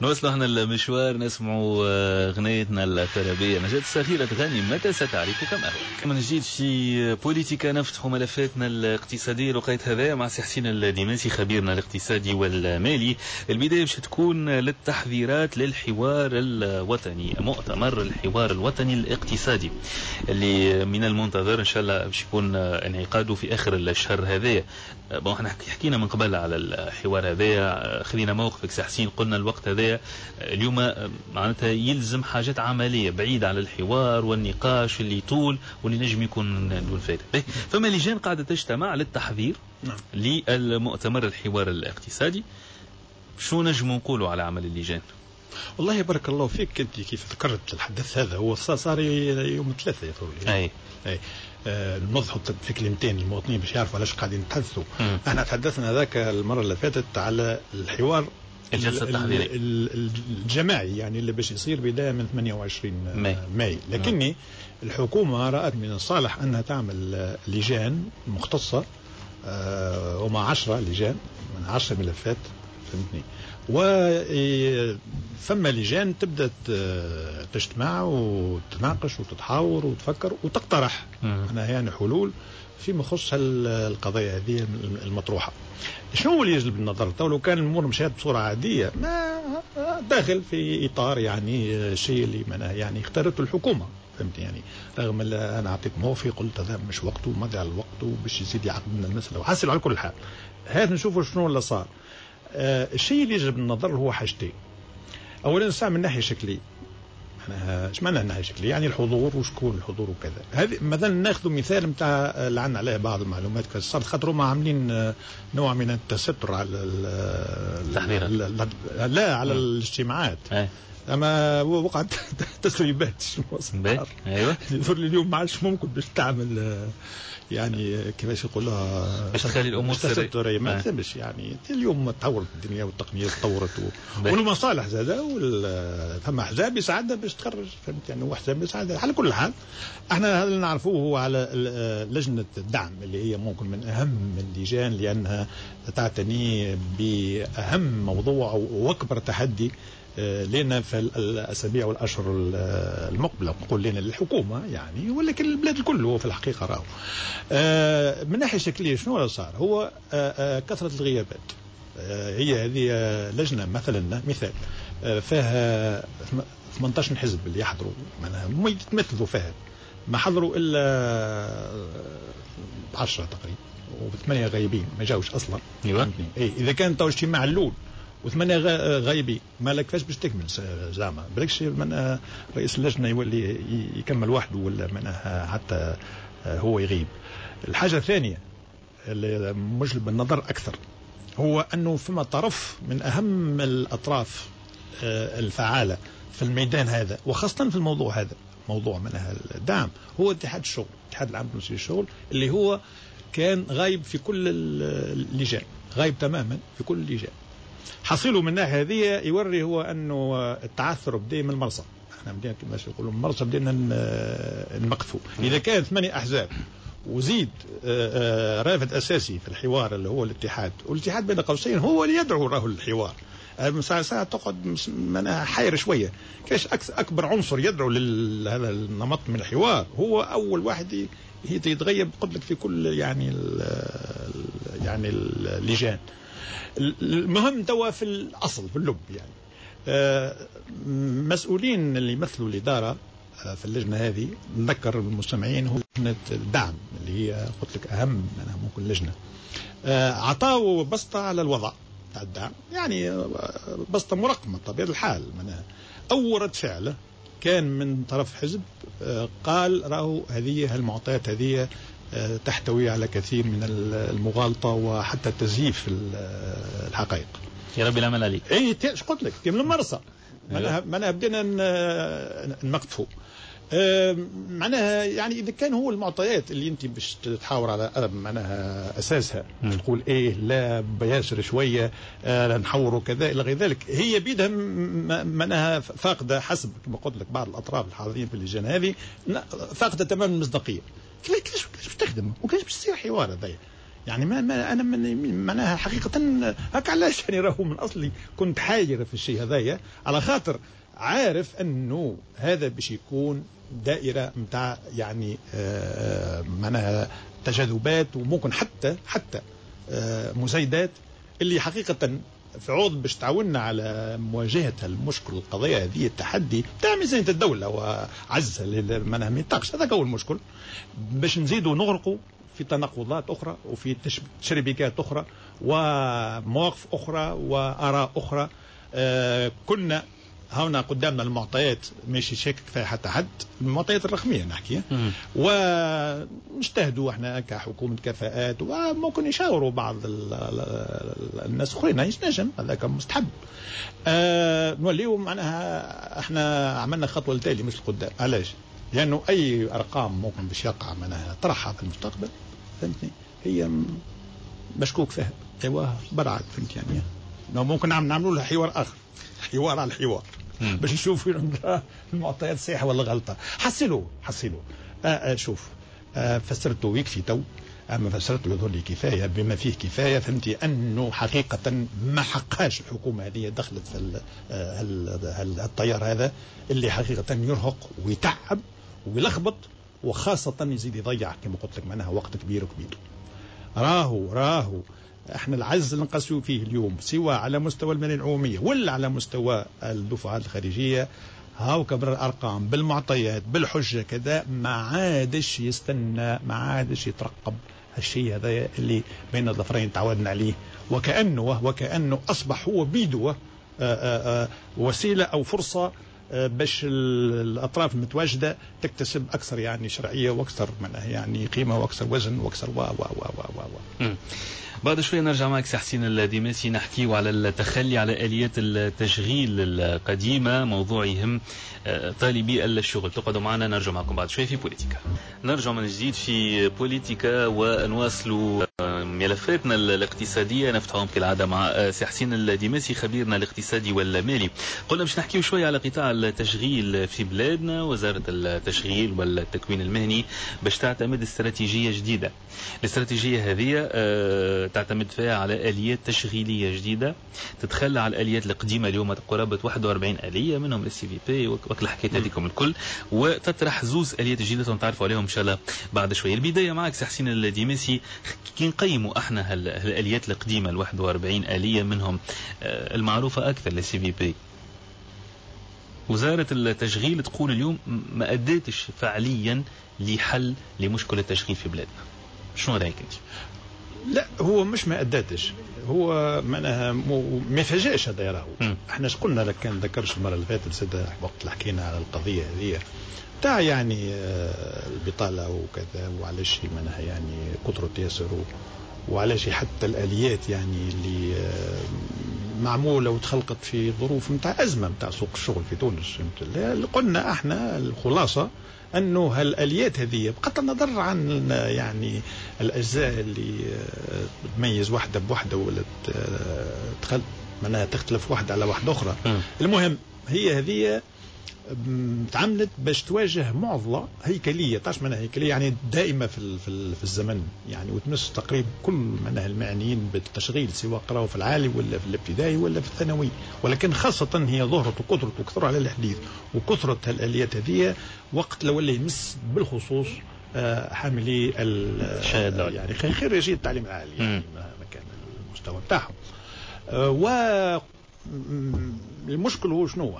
نوصلوا احنا المشوار نسمعوا غنيتنا الترابيه نجاة الصغيرة تغني متى ستعرف كم أهواك. من جديد في بوليتيكا نفتح ملفاتنا الاقتصادية لقيت هذا مع سي حسين الديماسي خبيرنا الاقتصادي والمالي. البداية باش تكون للتحذيرات للحوار الوطني، مؤتمر الحوار الوطني الاقتصادي اللي من المنتظر ان شاء الله باش يكون انعقاده في اخر الشهر هذايا. bon احنا حكينا من قبل على الحوار هذايا، خلينا موقفك سي حسين، قلنا الوقت هذايا اليوم معناتها يلزم حاجات عملية بعيدة على الحوار والنقاش اللي طول واللي نجم يكون دون فائدة. فما لجان قاعدة تجتمع للتحذير للمؤتمر الحوار الاقتصادي. شو نجم نقولوا على عمل اللجان؟ والله بارك الله فيك، انت كيف ذكرت الحدث هذا هو صار يوم 3 يا اي اي نوضحوا في كلمتين للمواطنين باش يعرفوا علاش قاعدين نتحدثوا. احنا تحدثنا ذاك المرة اللي فاتت على الحوار الجلسة التحضيريه الجماعي يعني اللي باش يصير بداية من 28 ماي، لكني الحكومة رأت من الصالح انها تعمل لجان مختصة ومع 10 لجان من 10 ملفات، فهمتني، وثم لجان تبدا تجتمع وتناقش وتتحاور وتفكر وتقترح أنا يعني حلول فيما يخص القضايا هذه المطروحة. شنو هو اللي يجلب النظر؟ تو لو كان الامور مشات بصورة عادية ما داخل في اطار يعني الشيء اللي يعني اختارته الحكومة، فهمت يعني، رغم اللي انا اعطيت موقفي قلت هذا مش وقته ومضي على الوقت وباش يزيد يعقد لنا المسالة وحصل. على كل حال هذا نشوفوا شنو اللي صار. الشيء اللي يجب النظر هو حاجتين. اولا ساعة من ناحية شكلية، معناها ايش معنى ناحية شكلية؟ يعني الحضور وشكون الحضور وكذا. هذه مثلا ناخذ مثال نتاع اللي عندنا عليه بعض المعلومات صارت، خاطر هما عاملين نوع من التستر على التحضيرات، لا على الاجتماعات. اما وقعت تسريبات. ايوه يظهر لي اليوم ما عادش ممكن باش تعمل يعني كيفاش يقولوها باش تخلي الامور سرية، ما تمش يعني. اليوم تطورت الدنيا والتقنية تطورت والمصالح زاده، ثم احزاب يساعدها باش تخرج، فهمت يعني، واحزاب يساعدها. على كل حال احنا هذا اللي نعرفوه هو على لجنة الدعم اللي هي ممكن من اهم اللجان لانها تعتني باهم موضوع واكبر تحدي لنا في الأسابيع والأشهر المقبلة، نقول لنا للحكومة يعني، ولكن البلاد الكل هو في الحقيقة راهو. من ناحية شكلية شنو اللي صار؟ هو كثرة الغيابات. هي هذه لجنة مثلا مثال فيها 18 حزب اللي يحضروا، معناها يتمثلوا فيها، ما حضروا الا 10 تقريبا، وثمانية غايبين ما جاوش اصلا. ايوه. اي اذا كان تو اجتماع الاول وثمانية غايبين، ما لك كيفاش باش تكمل زعما؟ بالكش من رئيس اللجنة يولي يكمل وحده ولا معناها حتى هو يغيب. الحاجة الثانية اللي مجلب النظر اكثر هو انه فما طرف من اهم الاطراف الفعالة في الميدان هذا، وخاصة في الموضوع هذا، موضوع منها الدعم، هو اتحاد الشغل، الاتحاد العام التونسي للشغل، اللي هو كان غايب في كل اللجان، غايب تماما في كل اللجان. حصيله من الناحية هذه يوري هو انه التعثر بدا من المرصى، احنا بدينا كما يقولوا من المرصى بدينا نمقفوا. اذا كان 8 احزاب وزيد رافد اساسي في الحوار اللي هو الاتحاد، والاتحاد بين قوسين هو اللي يدعو راهو للحوار، ساعة ساعة تقعد معناها حير شوية، كيفاش أكبر عنصر يدعو لهذا النمط من الحوار هو أول واحد يتغيب قلت لك في كل يعني يعني اللجان. المهم توا في الأصل في اللب يعني مسؤولين اللي يمثلوا الإدارة في اللجنة هذه، نذكر المستمعين هو لجنة الدعم اللي هي قلت لك أهم معناها ممكن لجنة، عطاوا بسطة على الوضع تاع الدعم، يعني بسطة مرقمة بطبيعة الحال. معناها أول رد فعل كان من طرف حزب قال راهو هذه المعطيات هذه تحتوي على كثير من المغالطة وحتى تزييف الحقائق. يا ربي العمل عليك. اي ايش قلت لك من المرسى معناها بدينا نمقتفوا معناها يعني اذا كان هو المعطيات اللي انت باش تحاور على معناها اساسها تقول ايه لا بياسر شوية نحوروا كذا الى غير ذلك، هي بيدها معناها فاقده حسب كما قلت لك بعض الاطراف الحاضرين في اللجان هذه فاقده تماما المصداقية. كيفاش باش تخدم وكيفاش باش تصير حوار هذايا؟ يعني ما انا معناها حقيقة هكا علاش يعني راهو من اصلي كنت حاير في الشيء هذايا، على خاطر عارف انه هذا باش يكون دائرة نتاع يعني معناها تجاذبات وممكن حتى مزايدات اللي حقيقة في عوض باش تعاوننا على مواجهة المشكل القضية هذه التحدي تاع ميزانية الدولة وعزها معناها ما يطاقش، هذاك هو المشكل، باش نزيدوا نغرقوا في تناقضات أخرى وفي تشربيكات أخرى ومواقف أخرى وآراء أخرى. كنا هنا قدامنا المعطيات ماشي شاكك فيها حتى حد، المعطيات الرقمية نحكي، ونجتهدوا احنا كحكومة كفاءات وممكن يشاوروا بعض الناس الاخرين ينجم هذاك مستحب. نوليو معناها احنا عملنا خطوة لتالي مش لقدام. علاش؟ لانه اي ارقام ممكن باش يقع معناها طرحها في المستقبل فهمتني هي مشكوك فيها، ايوا برعت فهمت يعني ممكن نعملوا لها حوار اخر، حوار على الحوار باش نشوفوا المعطيات صحيحه ولا غلطه. حصلوا شوف فسرته يكفي تو، اما فسرته يظهر لي كفاية بما فيه كفاية فهمتي انه حقيقة ما حقهاش الحكومة هذه دخلت في التيار هذا اللي حقيقة يرهق ويتعب ويلخبط وخاصة يزيد يضيع كما قلت لك معناها وقت كبير وكبير. راهو احنا العجز اللي نقاسيو فيه اليوم سواء على مستوى المالية العمومية ولا على مستوى الدفعات الخارجية، هاو كبر الارقام بالمعطيات بالحجة كذا، ما عادش يستنى، ما عادش يترقب هالشيء هذا اللي بين الظفرين تعودنا عليه، وكأنه اصبح هو بيده وسيلة او فرصة باش الاطراف المتواجدة تكتسب اكثر يعني شرعية واكثر يعني قيمة واكثر وزن واكثر و و و و و. بعد شوية نرجع معك سي حسين الديماسي نحكيو على التخلي على آليات التشغيل القديمة، موضوع يهم طالبي الشغل. تقعدوا معنا، نرجع معكم بعد شوية في بوليتيكا. نرجع من جديد في بوليتيكا ونواصلوا ملفاتنا الاقتصادية، نفتحهم كالعادة مع سي حسين الديماسي خبيرنا الاقتصادي والمالي. قلنا باش نحكيو شوية على قطاع التشغيل في بلادنا. وزارة التشغيل والتكوين المهني باش تعتمد استراتيجية جديدة. الاستراتيجية هذه تعتمد فيها على آليات تشغيلية جديدة، تتخلى على الآليات القديمة اليوم قرابة 41 آلية منهم ال CIVP وكل الحكايات هذيكم الكل، وتطرح زوز آليات جديدة نتعرفوا عليهم إن شاء الله بعد شوية. البداية معك سي حسين الديماسي، كي نقيموا احنا الآليات القديمة ال 41 آلية منهم المعروفة أكثر ال CIVP، وزارة التشغيل تقول اليوم ما أدتش فعليا لحل لمشكلة التشغيل في بلادنا. شنو رأيك أنت؟ لا هو مش ما أدتش، هو معناها ما فاجئش هذا راهو. احنا اش قلنا لك كان ذكرش المرة اللي فاتت سيدة وقت اللي حكينا على القضية هذه تاع يعني البطالة وكذا، وعلاش معناها يعني كثرة ياسر، وعلاش حتى الآليات يعني اللي معمولة وتخلقت في ظروف نتاع أزمة نتاع سوق الشغل في تونس. قلنا احنا الخلاصة أنه هالآليات هذه بغض النظر عن يعني الأجزاء اللي تميز واحدة بواحدة ولا تخل معناها تختلف واحدة على واحدة أخرى. المهم هي هذه تعملت باش تواجه معضلة هيكلية. تعرف معناها هيكلية يعني دائمة في في الزمن يعني، وتمس تقريبا كل معناها المعنيين بالتشغيل سواء قراوا في العالي ولا في الابتدائي ولا في الثانوي، ولكن خاصة هي ظهرت وكثرت وكثر على الحديث وكثرت الآليات هذه وقت لو اللي يمس بالخصوص حاملي يعني خريجي التعليم العالي يعني ما كان المستوى بتاعهم. و المشكل هو شنو؟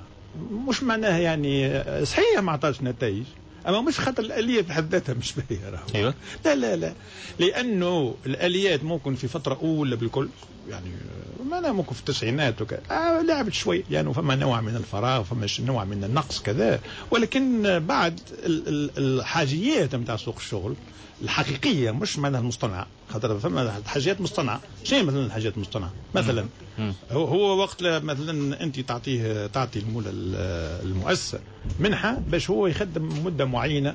مش معناها يعني صحيح ما عطاش نتائج، اما مش خاطر الالية في حد ذاتها مش باهيه راهو. ايوه لا لا لا، لانه الاليات ممكن في فترة اولى بالكل يعني معناها ممكن في التسعينات وكذا لعبت شوي لانه يعني فما نوع من الفراغ، فما نوع من النقص كذا، ولكن بعد الحاجيات نتاع سوق الشغل الحقيقية مش معناها المصطنعه، خاطر فما حاجات مصطنعه. شنو مثلا الحاجات المصطنعه؟ مثلا هو وقت مثلا انت تعطي المولى المؤسسة منحه باش هو يخدم مده معينة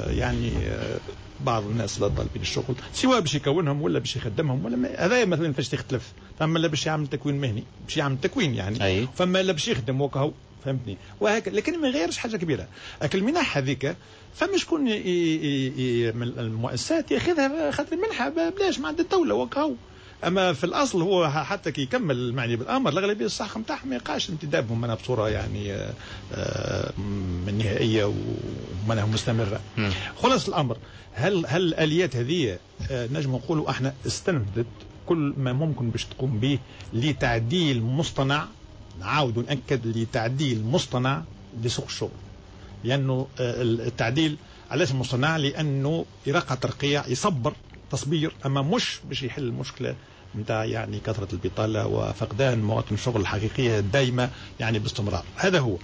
يعني بعض الناس اللي طالبين الشغل سواء باش يكونهم ولا باش يخدمهم ولا هذا مثلا فاش تختلف. فما اللي باش يعمل تكوين مهني باش يعمل تكوين يعني. أي. فما اللي باش يخدم وكهو، فهمتني، وهكذا، لكن ما يغيرش حاجة كبيرة. لكن المنح هذيك فما شكون من المؤسسات ياخذها خاطر المنحة بلاش ما عند الدولة وكهو. اما في الاصل هو حتى كي يكمل المعني بالامر الاغلبية الصح نتاعهم ما يقاش انتدابهم منها بصورة يعني من نهائية ومنها مستمرة. خلاص الامر هل الاليات هذه نجم نقولوا احنا استنفذت كل ما ممكن باش تقوم به لتعديل مصطنع، نعاود ونأكد لتعديل مصطنع لسوق الشغل، لأنه التعديل علاش مصطنع؟ لأنه يرقى ترقيع يصبر تصبير، أما مش باش يحل المشكلة نتاع يعني كثرة البطالة وفقدان مواطن الشغل الحقيقية الدائمة يعني باستمرار. هذا هو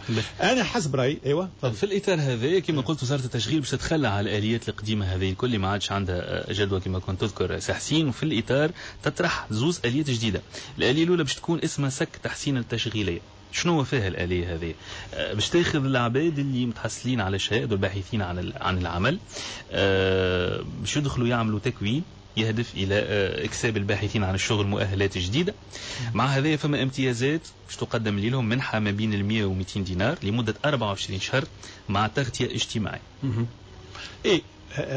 أنا حسب رأيي. أيوة في الإطار هذا كما قلت وزارة التشغيل باش تتخلى على الآليات القديمة هذه الكل ما عادش عندها جدوى كما كنت تذكر سي حسين، وفي الإطار تطرح زوز آليات جديدة. الآلية الأولى باش تكون اسمها سك تحسين التشغيلية. شنو فيها الآلية هذه؟ باش تاخذ العباد اللي متحصلين على شهادة والباحثين عن العمل، باش يدخلوا يعملوا تكوين يهدف إلى إكساب الباحثين عن الشغل مؤهلات جديدة. مع هذا فما امتيازات باش تقدم لهم منحة ما بين 100 و 200 دينار لمدة 24 شهر مع تغطية اجتماعية. إيه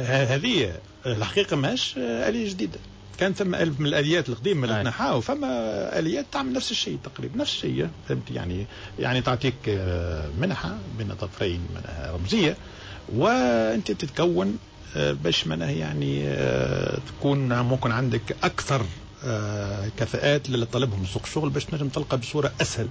هذه الحقيقة ماهيش آلية جديدة، كان ثم ألف من الآليات القديمة اللي تنحاو، فما آليات تعمل نفس الشيء تقريبا نفس الشيء، فهمت يعني تعطيك منحة بين طرفين رمزية وأنت تتكون باش معناها يعني تكون ممكن عندك أكثر كفاءات اللي طالبهم سوق الشغل باش تنجم تلقى بصورة أسهل.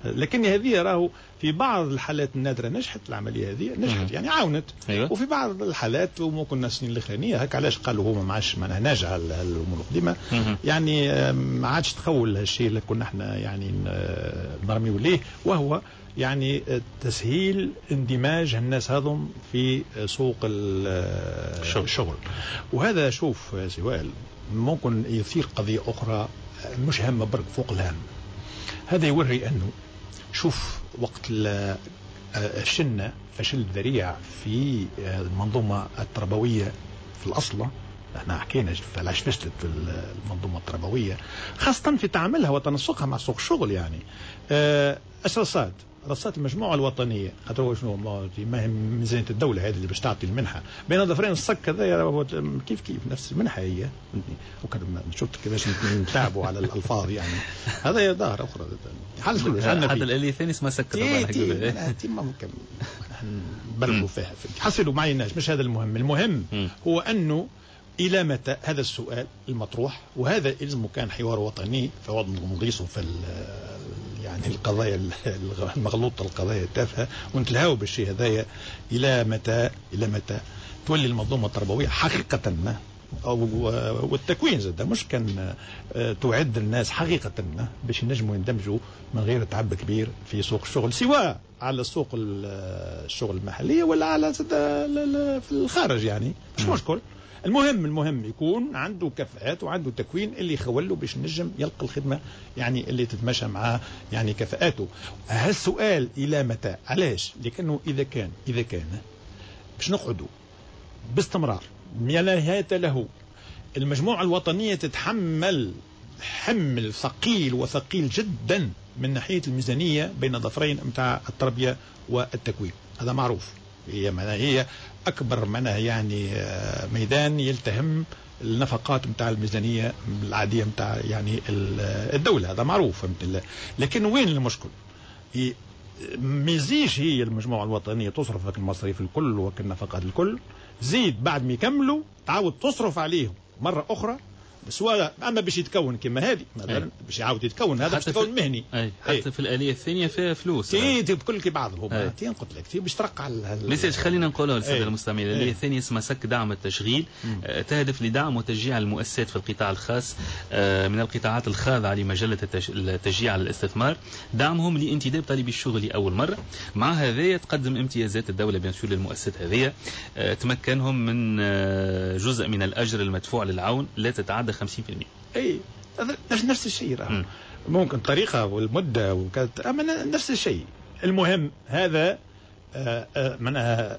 لكن هذه راهو في بعض الحالات النادرة نجحت العملية هذه، نجحت يعني عاونت. أيوة. وفي بعض الحالات وممكن السنين الاخرانية هكا علاش قالوا هما ما عادش معناها ناجعة الامور القديمة، يعني ما عادش تخول هالشيء اللي كنا احنا يعني نرميو ليه، وهو يعني تسهيل اندماج الناس هذم في سوق الشغل. وهذا شوف سوال ممكن يثير قضية اخرى مش هامة برك فوق الهام. هذا يوري انه شوف وقت فشلنا فشل ذريع في المنظومة التربوية في الأصل، احنا حكينا علاش فشلت المنظومة التربوية خاصة في تعاملها وتنسقها مع سوق الشغل. يعني أساسات رصات المجموعة الوطنية خاطر هو شنو ما هي ميزانية الدولة هذه اللي باش تعطي المنحة بين ظفرين الصك هذا كيف كيف نفس المنحة هي، شفت كيفاش نتعبوا على الألفاظ يعني هذا ظاهرة أخرى حتى الآلية الثانية اسمها سك طبعا تي ممكن نبلغوا فيها حصلوا معيناش، مش هذا المهم. المهم هو أنه إلى متى هذا السؤال المطروح، وهذا إلزمه كان حوار وطني فوض نغيصه في يعني يعني القضايا المغلوطة، القضايا التافهة، ونتلهاو بالشيء هذايا. الى متى، الى متى تولي المنظومة التربوية حقيقة والتكوين زاد مش كان تعد الناس حقيقة باش ينجموا يندمجوا من غير تعب كبير في سوق الشغل، سواء على سوق الشغل المحلية ولا على في الخارج، يعني مش مشكل. المهم يكون عنده كفاءات وعنده تكوين اللي يخوله باش نجم يلقى الخدمة يعني اللي تتماشى مع يعني كفاءاته. هالسؤال إلى متى؟ علاش؟ لأنه إذا كان باش نقعدوا باستمرار لا نهاية له، المجموعة الوطنية تتحمل حمل ثقيل وثقيل جدا من ناحية الميزانية بين ظفرين متاع التربية والتكوين، هذا معروف. هي معناها هي أكبر معناها يعني ميدان يلتهم النفقات متاع الميزانية العادية متاع يعني الدولة، هذا معروف. لكن وين المشكل؟ ميزيش هي المجموعة الوطنية تصرف لك المصاريف الكل وك النفقات الكل، زيد بعد ما يكملوا تعاود تصرف عليهم مرة أخرى، سواء اما باش يتكون كما هذه مثلا باش يعاود يتكون هذا باش يتكون مهني. أي. حتى في الآلية الثانية فيها فلوس. تي بكل كي بعضهم تي قلت لك تي باش ترقع. message خلينا نقولها للسادة المستمعين. الآلية الثانية اسمها سك دعم التشغيل، تهدف لدعم وتشجيع المؤسسات في القطاع الخاص من القطاعات الخاضعة لمجلة التشجيع على الاستثمار، دعمهم لانتداب طالبي الشغل لأول مرة. مع هذا تقدم امتيازات الدولة bien sûr للمؤسسات هذه، تمكنهم من جزء من الأجر المدفوع للعون لا تتعدى 50%. اي نفس الشيء راه ممكن طريقة والمدة وكذا، اما نفس الشيء. المهم هذا معناها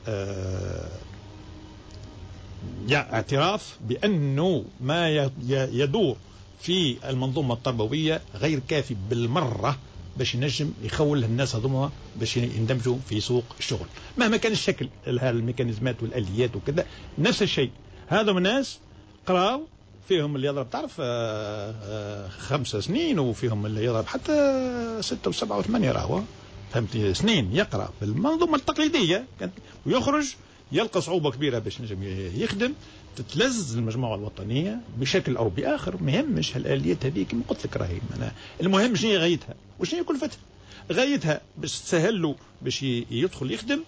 اعتراف بأنه ما يدور في المنظومة التربوية غير كافي بالمرة باش ينجم يخول الناس هذوما باش يندمجوا في سوق الشغل مهما كان الشكل، الميكانيزمات والآليات وكذا نفس الشيء. هذو الناس قراو، فيهم اللي يضرب تعرف 5 سنين، وفيهم اللي يضرب حتى 6 و7 و8، راهو فهمتني، سنين يقرأ في المنظومة التقليدية ويخرج يلقى صعوبة كبيرة باش نجم يخدم. تتلز المجموعة الوطنية بشكل أو بآخر، ما يهمش هالآليات هذه كما قلت لك راهي. المهم شنو هي غايتها وشنو هي كلفتها. غايتها باش تسهل له باش يدخل يخدم،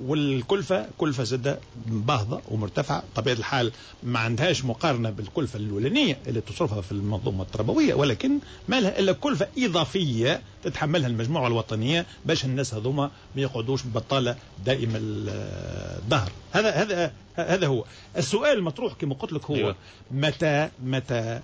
والكلفة كلفة زادة باهظة ومرتفعة طبيعة الحال، ما عندهاش مقارنة بالكلفة الأولانية اللي تصرفها في المنظومة التربوية، ولكن ما لها إلا كلفة إضافية تتحملها المجموعة الوطنية باش الناس هذوما ما يقعدوش بطالة دائما الظهر. هذا هو السؤال المطروح كما قلت لك، هو أيوة. متى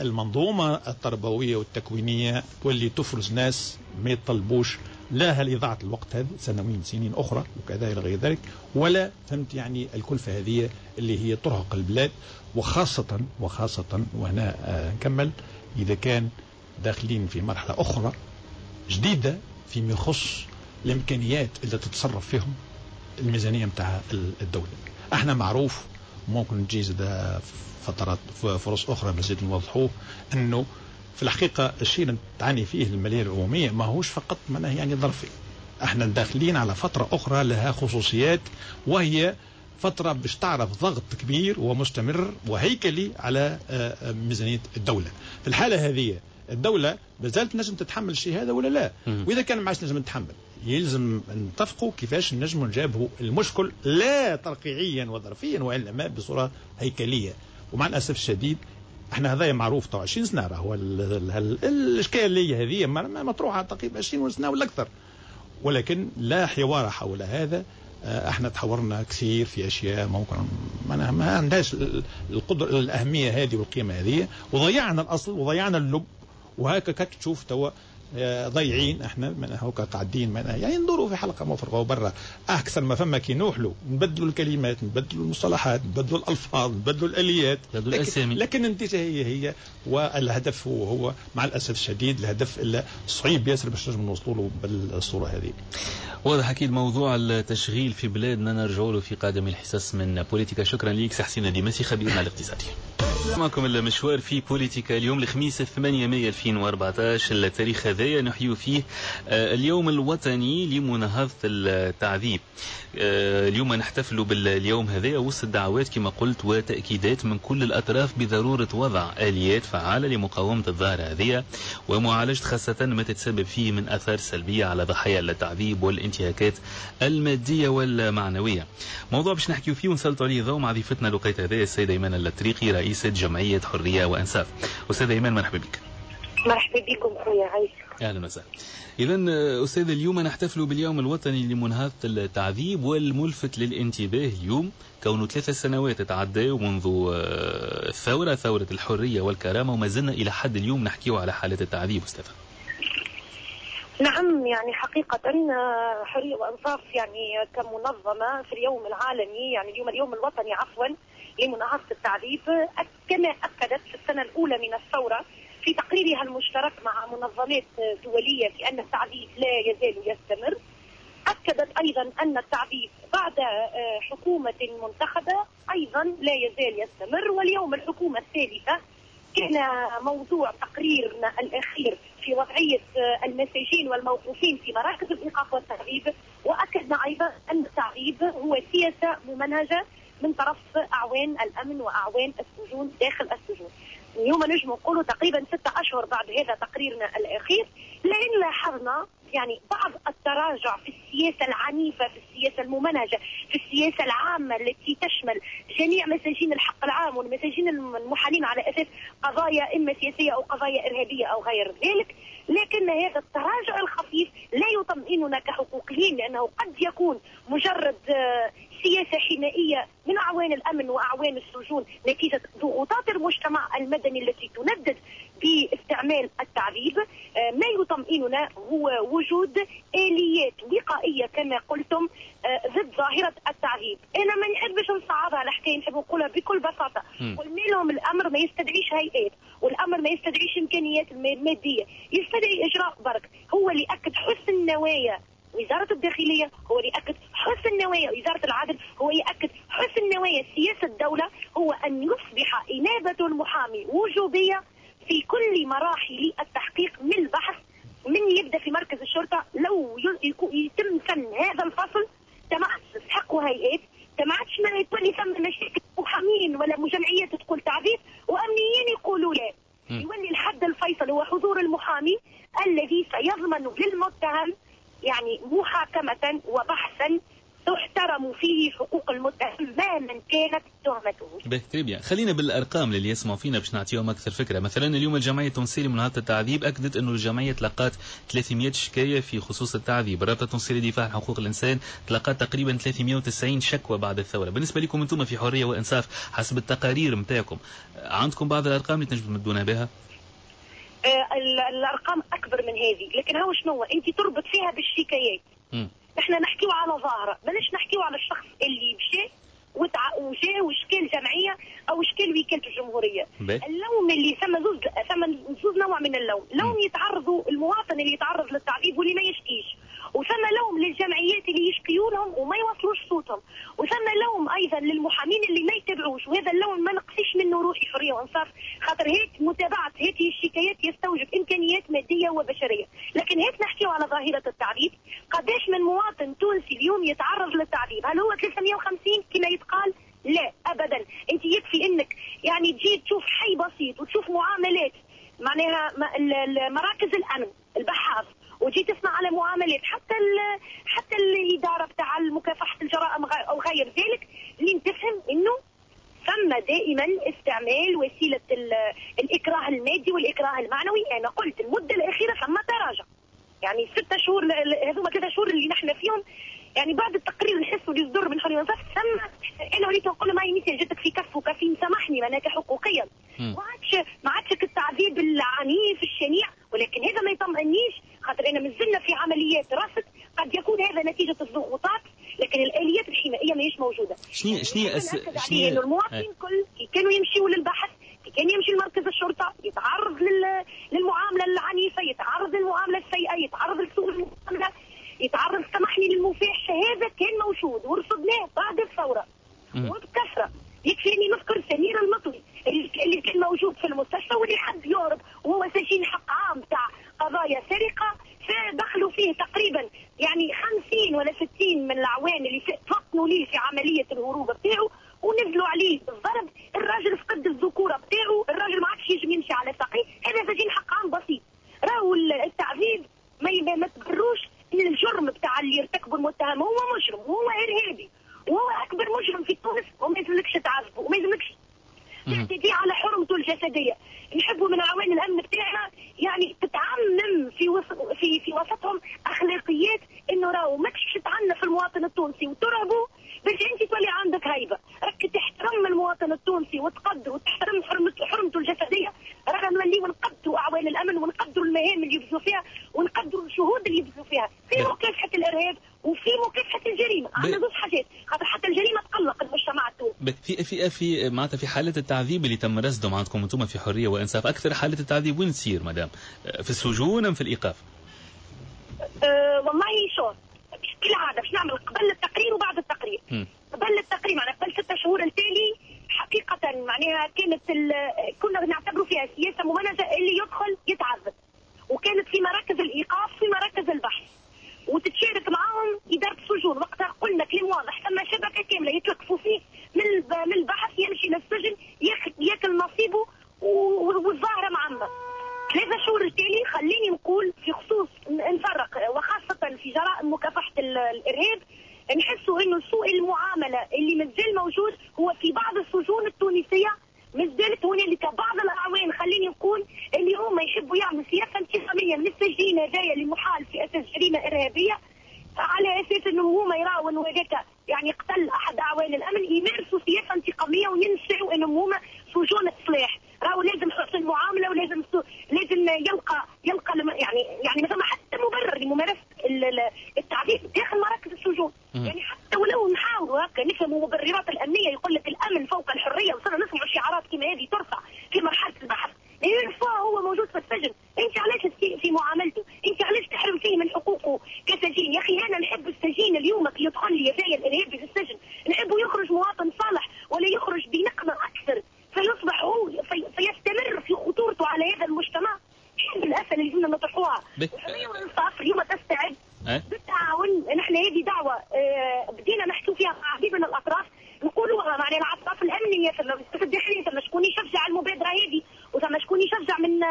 المنظومة التربوية والتكوينية تولي تفرز ناس ما يطلبوش لا هل إضاعة الوقت هذا سنوين سنين أخرى وكذا إلى غير ذلك، ولا فهمت يعني الكلفة هذه اللي هي ترهق البلاد، وخاصة وهنا نكمل، إذا كان داخلين في مرحلة أخرى جديدة فيما يخص الإمكانيات اللي تتصرف فيهم الميزانية متاع الدولة. احنا معروف، ممكن تجي فترات فرص أخرى مزيد نوضحوه، أنه في الحقيقة الشيء اللي تعاني فيه المالية العمومية ما هوش فقط معناه يعني ظرفي، احنا داخلين على فترة أخرى لها خصوصيات، وهي فترة باش تعرف ضغط كبير ومستمر وهيكلي على ميزانية الدولة. في الحالة هذه الدولة مازالت نجم تتحمل الشيء هذا ولا لا؟ وإذا كان ما عادش نجم نتحمل، يلزم نتفقوا كيفاش نجموا نجابهوا المشكل، لا ترقيعيا وظرفيا وإنما بصورة هيكلية. ومع الأسف الشديد احنا هذايا معروف تو 20 سنة، راهو الاشكالية هذه مطروحة تقريبا 20 سنة ولا اكثر، ولكن لا حوار حول هذا. احنا تحورنا كثير في اشياء ممكن ما عندهاش القدرة الاهمية هذه والقيمة هذه، وضيعنا الاصل وضيعنا اللب، وهكا تشوف توا ضايعين احنا من هوكا قاعدين يعني ندوروا في حلقة مفرغة وبرا. احسن ما فما كي نوحلوا نبدلوا الكلمات، نبدلوا المصطلحات، نبدلوا الالفاظ، نبدلوا الاليات، لكن النتيجة هي والهدف هو مع الاسف الشديد الهدف اللي صعيب ياسر باش نجم نوصلوا له بالصورة هذه. واضح اكيد موضوع التشغيل في بلادنا نرجعوا له في قادم الحصص من بوليتيكا. شكرا لك سي حسين الديماسي خبيرنا الاقتصادي. معكم المشوار في بوليتيكا اليوم الخميس 8 مايو 2014، التاريخ هذايا نحيو فيه اليوم الوطني لمناهضة التعذيب. اليوم نحتفل باليوم هذايا وسط دعوات كما قلت وتأكيدات من كل الأطراف بضرورة وضع آليات فعالة لمقاومة الظاهرة هذه ومعالجة خاصة ما تتسبب فيه من آثار سلبية على ضحايا التعذيب والانتهاكات المادية والمعنوية. موضوع باش نحكيو فيه ونسلطوا عليه ضوء مع ضيفتنا لقيت هذايا السيدة إيمان اللطريقي رئيسة جمعية حرية وإنصاف. أستاذة إيمان مرحبا بك. مرحبا بكم خويا عايشك. أهلا وسهلا. إذا أستاذ اليوم نحتفل باليوم الوطني لمناهضة التعذيب، والملفت للانتباه اليوم كونه 3 سنوات تعدوا منذ الثورة، ثورة الحرية والكرامة، وما زلنا إلى حد اليوم نحكيه على حالة التعذيب. أستاذ. نعم، يعني حقيقة حرية وإنصاف يعني كمنظمة في اليوم العالمي، يعني اليوم الوطني عفوا لمناهضة التعذيب، كما أكدت في السنة الأولى من الثورة في تقريرها المشترك مع منظمات دولية في أن التعذيب لا يزال يستمر. أكدت أيضا أن التعذيب بعد حكومة منتخبة أيضا لا يزال يستمر، واليوم الحكومة الثالثة كان موضوع تقريرنا الأخير في وضعية المساجين والموقوفين في مراكز الإيقاف والتعذيب، وأكدنا أيضا أن التعذيب هو سياسة ممنهجة من طرف أعوان الأمن وأعوان السجون داخل السجون. اليوم نجم نقولوا تقريبا 6 أشهر بعد هذا تقريرنا الأخير، لأن لاحظنا يعني بعض التراجع في السياسة العنيفة، في السياسة الممنهجة، في السياسة العامة التي تشمل جميع مساجين الحق العام والمساجين المحالين على أساس قضايا إما سياسية أو قضايا إرهابية أو غير ذلك. لكن هذا التراجع الخفيف لا يطمئننا كحقوقيين، لأنه قد يكون مجرد سياسة حمائية من أعوان الأمن وأعوان السجون نتيجة ضغوطات المجتمع المدني التي تندد باستعمال التعذيب. ما يطمئننا هو وجود آليات وقائية كما قلتم ضد ظاهرة التعذيب. أنا ما نحبش نصعبها الحكاية، نحب نقولها بكل بساطة. قلنا لهم الأمر ما يستدعيش هيئات، والأمر ما يستدعيش إمكانيات مادية، يستدعي إجراء برك. هو اللي أكد حسن النوايا وزارة الداخلية، هو اللي يأكد حسن النوايا وزارة العدل، هو يأكد حسن النوايا سياسة الدولة، هو أن يصبح إنابة المحامي وجوبية في كل مراحل التحقيق من البحث، من يبدأ في مركز الشرطة. لو يتم سن هذا الفصل تستحقوا هيئات، ما عادش ما يتولي ثم مشاكل محامين ولا جمعيات تقول تعذيب وأمنيين يقولوا لا. يولي الحد الفيصل هو حضور المحامي الذي سيضمن للمتهم يعني محاكمة وبحثا تحترم فيه حقوق المتهم مهما كانت تهمته. به خلينا بالارقام للي يسمعوا فينا باش نعطيهم اكثر فكرة. مثلا اليوم الجمعية التونسية لمناهضه التعذيب اكدت انه الجمعية تلقات 300 شكاية في خصوص التعذيب. الرابطة التونسية للدفاع عن حقوق الانسان تلقات تقريبا 390 شكوى بعد الثورة. بالنسبة لكم انتم في حرية وانصاف حسب التقارير نتاعكم عندكم بعض الارقام اللي تنجموا تمدونا بها؟ الارقام اكبر من هذه، لكن هو شنو انت تربط فيها بالشكايات. احنا نحكيو على ظاهره، بلاش نحكيو على الشخص اللي مشى وجا وشكال جمعية او شكال وكالة الجمهورية. اللوم اللي ثم زوز نوع من اللوم، لوم يتعرضوا المواطن اللي يتعرض للتعذيب واللي ما يشكيش، وثم لوم للجمعيات اللي يشكيوا لهم وما يوصلوش صوتهم، وثم لوم ايضا للمحامين اللي ما يتابعوش، وهذا اللوم ما نقصيش منه روحي حرية وانصاف، خاطر هيك متابعه هذه الشكايات يستوجب امكانيات مادية وبشريه. لكن هيك نحكيو على ظاهره التعذيب، قداش من مواطن تونسي اليوم يتعرض للتعذيب؟ هل هو 350 كما يتقال؟ لا ابدا. انت يكفي انك يعني تجي تشوف حي بسيط وتشوف معاملات معناها مراكز الامن البحاث، وتجي تسمع على معاملات حتى الادارة بتاع مكافحة الجرائم او غير ذلك، لين تفهم انه ثم دائما استعمال وسيلة الاكراه المادي والاكراه المعنوي. انا قلت المدة الاخيرة ثم تراجع، يعني 6 شهور هذوما 3 شهور اللي نحن فيهم، يعني بعد التقرير نحسوا اللي يصدر من حرية وانصاف ثم انا وليت نقول ما هي جاتك في كف وكفين، سامحني معناها كحقوقيا ما عادش التعذيب العنيف الشنيع، ولكن هذا ما يطمئنيش خاطر انا مازلنا في عمليات رصد، قد يكون هذا نتيجة الضغوطات، لكن الاليات الحمائيه ماهيش موجودة. شنو انه المواطنين كل كي كانوا يمشيوا للبحث، كي كان يمشي لمركز الشرطة يتعرض للمعامله العنيفة، يتعرض للمعامله السيئة، يتعرض لسوء المعاملة، يتعرض سامحني للمفاحشه، هذا كان موجود ورصدناه بعد الثورة وبكثرة. يكفي اني نذكر سمير المطوي اللي فيه تقريبا يعني 50 ولا 60 من الأعوان اللي فطنوا ليه في عملية الهروب بتاعه ونزلوا عليه بالضرب. الراجل فقد الذكورة بتاعه، الراجل ما عادش يجم يمشي على ساقيه. هذا سجين حق عام بسيط. راهو التعذيب ما تبروش الجرم بتاع اللي ارتكبوا المتهم، هو مجرم وهو ارهابي وهو اكبر مجرم في تونس، وما يلزملكش تعذبه وما يلزملكش تعتدي على حرمته الجسدية. نحبوا من اعوان الامن بتاعنا يعني تتعمم في وسطهم اخلاقيات انه راهو ماكش تعنف المواطن التونسي وترهبه باش انت تولي عندك هيبة، راك تحترم المواطن التونسي وتقدر وتحترم حرمته الجسدية. رانا نوليو نقدروا اعوان الامن ونقدروا المهام اللي يبذلوا فيها ونقدروا الجهود اللي يبذلوا فيها في مكافحة الارهاب وفي مكافحة الجريمة. عندنا زوج حاجات، خاطر حتى الجريمة تقلق المجتمع التونسي. في في في معناتها في حالات التعذيب اللي تم رصدهم عندكم انتم في حرية وانصاف، اكثر حالات التعذيب وين تصير مدام؟ في السجون ام في الايقاف؟ والله شوف كالعادة باش نعمل قبل التقرير وبعد التقرير. قبل التقرير معناها قبل 6 شهور التالي حقيقة معناها كانت كنا نعتبروا فيها سياسة ممنهجه، اللي يدخل يتعذب، وكانت في مراكز الايقاف في مراكز البحث وتتشارك معاهم ادارة السجون. وقتها قلنا كلام واضح، ثم شبكة كاملة يتلقفوا فيه من البحث يمشي للسجن ياكل نصيبه والظاهرة معمه. 3 شهور التالي خليني نقول في خصوص نفرق، وخاصة في جرائم مكافحة الإرهاب، نحسوا إنه سوء المعاملة اللي مازال موجود هو في بعض السجون التونسية. مازالت هنالك بعض الأعوان خليني نقول اللي هما يحبوا يعملوا سياسة انتقامية من السجين هذايا اللي محال في أساس جريمة إرهابية، على أساس إنه هما يراوا إنه هذاك يعني قتل أحد أعوان الأمن، يمارسوا سياسة انتقامية وينسوا إنهم هما سجون إصلاح. راهو لازم حسن المعاملة ولازم لازم يلقى يعني ما ثم حتى مبرر لممارسة التعذيب داخل مراكز السجون. يعني حتى ولو نحاولوا هكا نفهموا مبررات الامنية، يقول لك الامن فوق الحرية، وصلنا نسمعوا شعارات كما هذه ترفع في مرحلة البحث. هو موجود في السجن، انت علاش تسيء في معاملته؟ انت علاش تحرم فيه من حقوقه كسجين؟ يا اخي انا نحب السجين اليوم كي يدخل لي هذايا الارهابي في السجن، نحبه يخرج مواطن صالح ولا يخرج بنقمه اكثر فيصبح هو فيستمر في خطورته على هذا المجتمع. شنو الاسئلة اللي لازمنا نطرحوها؟ الحرية والانصاف اليوم تستعد بالتعاون. نحن هذه دعوه بدينا نحكوا فيها مع عديد من الاطراف، نقولوها معناها الاطراف الامنية، ثم الداخلية، ثم شكون يشجع المبادرة هذه، وثم شكون يشجع من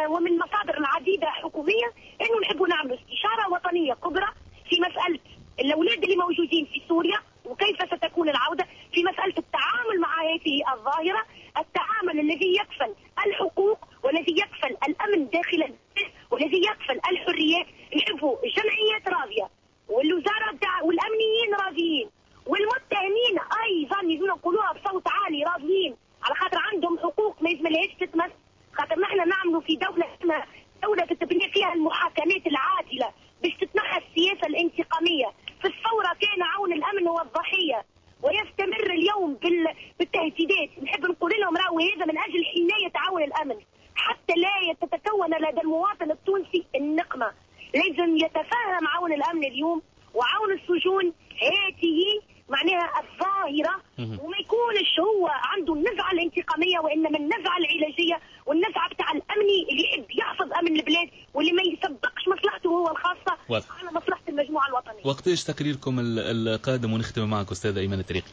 ومن مصادر العديدة حكومية، انه نحبوا نعملوا استشاره وطنية كبرى في مسالة الاولاد اللي موجودين في سوريا وكيف ستكون العودة، في مسألة التعامل مع هذه الظاهرة، التعامل الذي يكفل الحقوق والذي يكفل الأمن داخل البلد والذي يكفل الحريات. نحبوا الجمعيات راضية والوزارة والأمنيين راضيين والمتهمين أيضا يجونا نقولوها بصوت عالي راضيين، على خاطر عندهم حقوق ما يلزملهاش تتمس. خاطر نحن نعملوا في دولة اسمها دولة تتبني فيها المحاكمات العادلة باش تتنحى السياسة الانتقامية. في الثورة كان عون الأمن هو الضحية ويستمر اليوم بالتهديدات. نحب نقول لهم راهو هذا من أجل حماية عون الأمن حتى لا تتكون لدى المواطن التونسي النقمة. لازم يتفهم عون الأمن اليوم وعون السجون هذه معناها الظاهرة، وما يكونش هو عنده النزعة الانتقامية، وإنما النزعة العلاجية والنزعة بتاع الأمني اللي يحب يحفظ أمن البلاد واللي ما يسبقش مصلحته هو الخاصة على مصلحة المجموعة الوطنية. وقتاش تقريركم القادم ونختم معك أستاذ أيمن الطريقي؟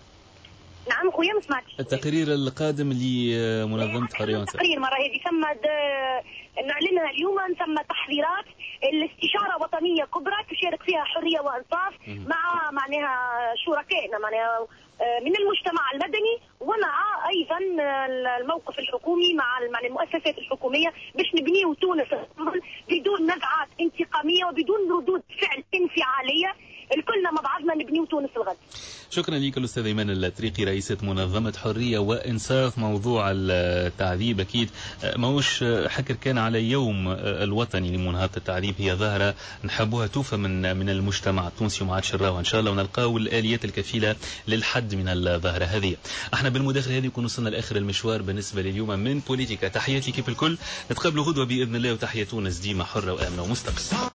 نعم خويا ما سمعتش. التقرير القادم لمنظمة حرية وانصاف. التقرير مرة هذه ثم نعلنها اليوم، ثم تحضيرات الاستشارة وطنية كبرى تشارك فيها حرية وانصاف مع معناها شركائنا معناها من المجتمع المدني ومع ايضا الموقف الحكومي مع المؤسسات الحكومية باش نبنيو تونس بدون نزعات انتقامية وبدون ردود فعل انفعالية. الكلنا مع بعضنا نبنيو تونس الغد. شكرا لك الأستاذ إيمان الطريقي رئيسة منظمة حرية وإنصاف. موضوع التعذيب أكيد ماهوش حكر كان على يوم الوطني لمناهضة التعذيب، هي ظاهرة نحبوها توفى من المجتمع التونسي وما عادش نراوها إن شاء الله، ونلقاو الآليات الكفيلة للحد من الظاهرة هذه. احنا بالمداخلة هذه نكون وصلنا لآخر المشوار بالنسبة لليوم من بوليتيكا. تحياتي كيف الكل، نتقابلوا غدوة بإذن الله، وتحية تونس ديما حرة وآمنة ومستقلة.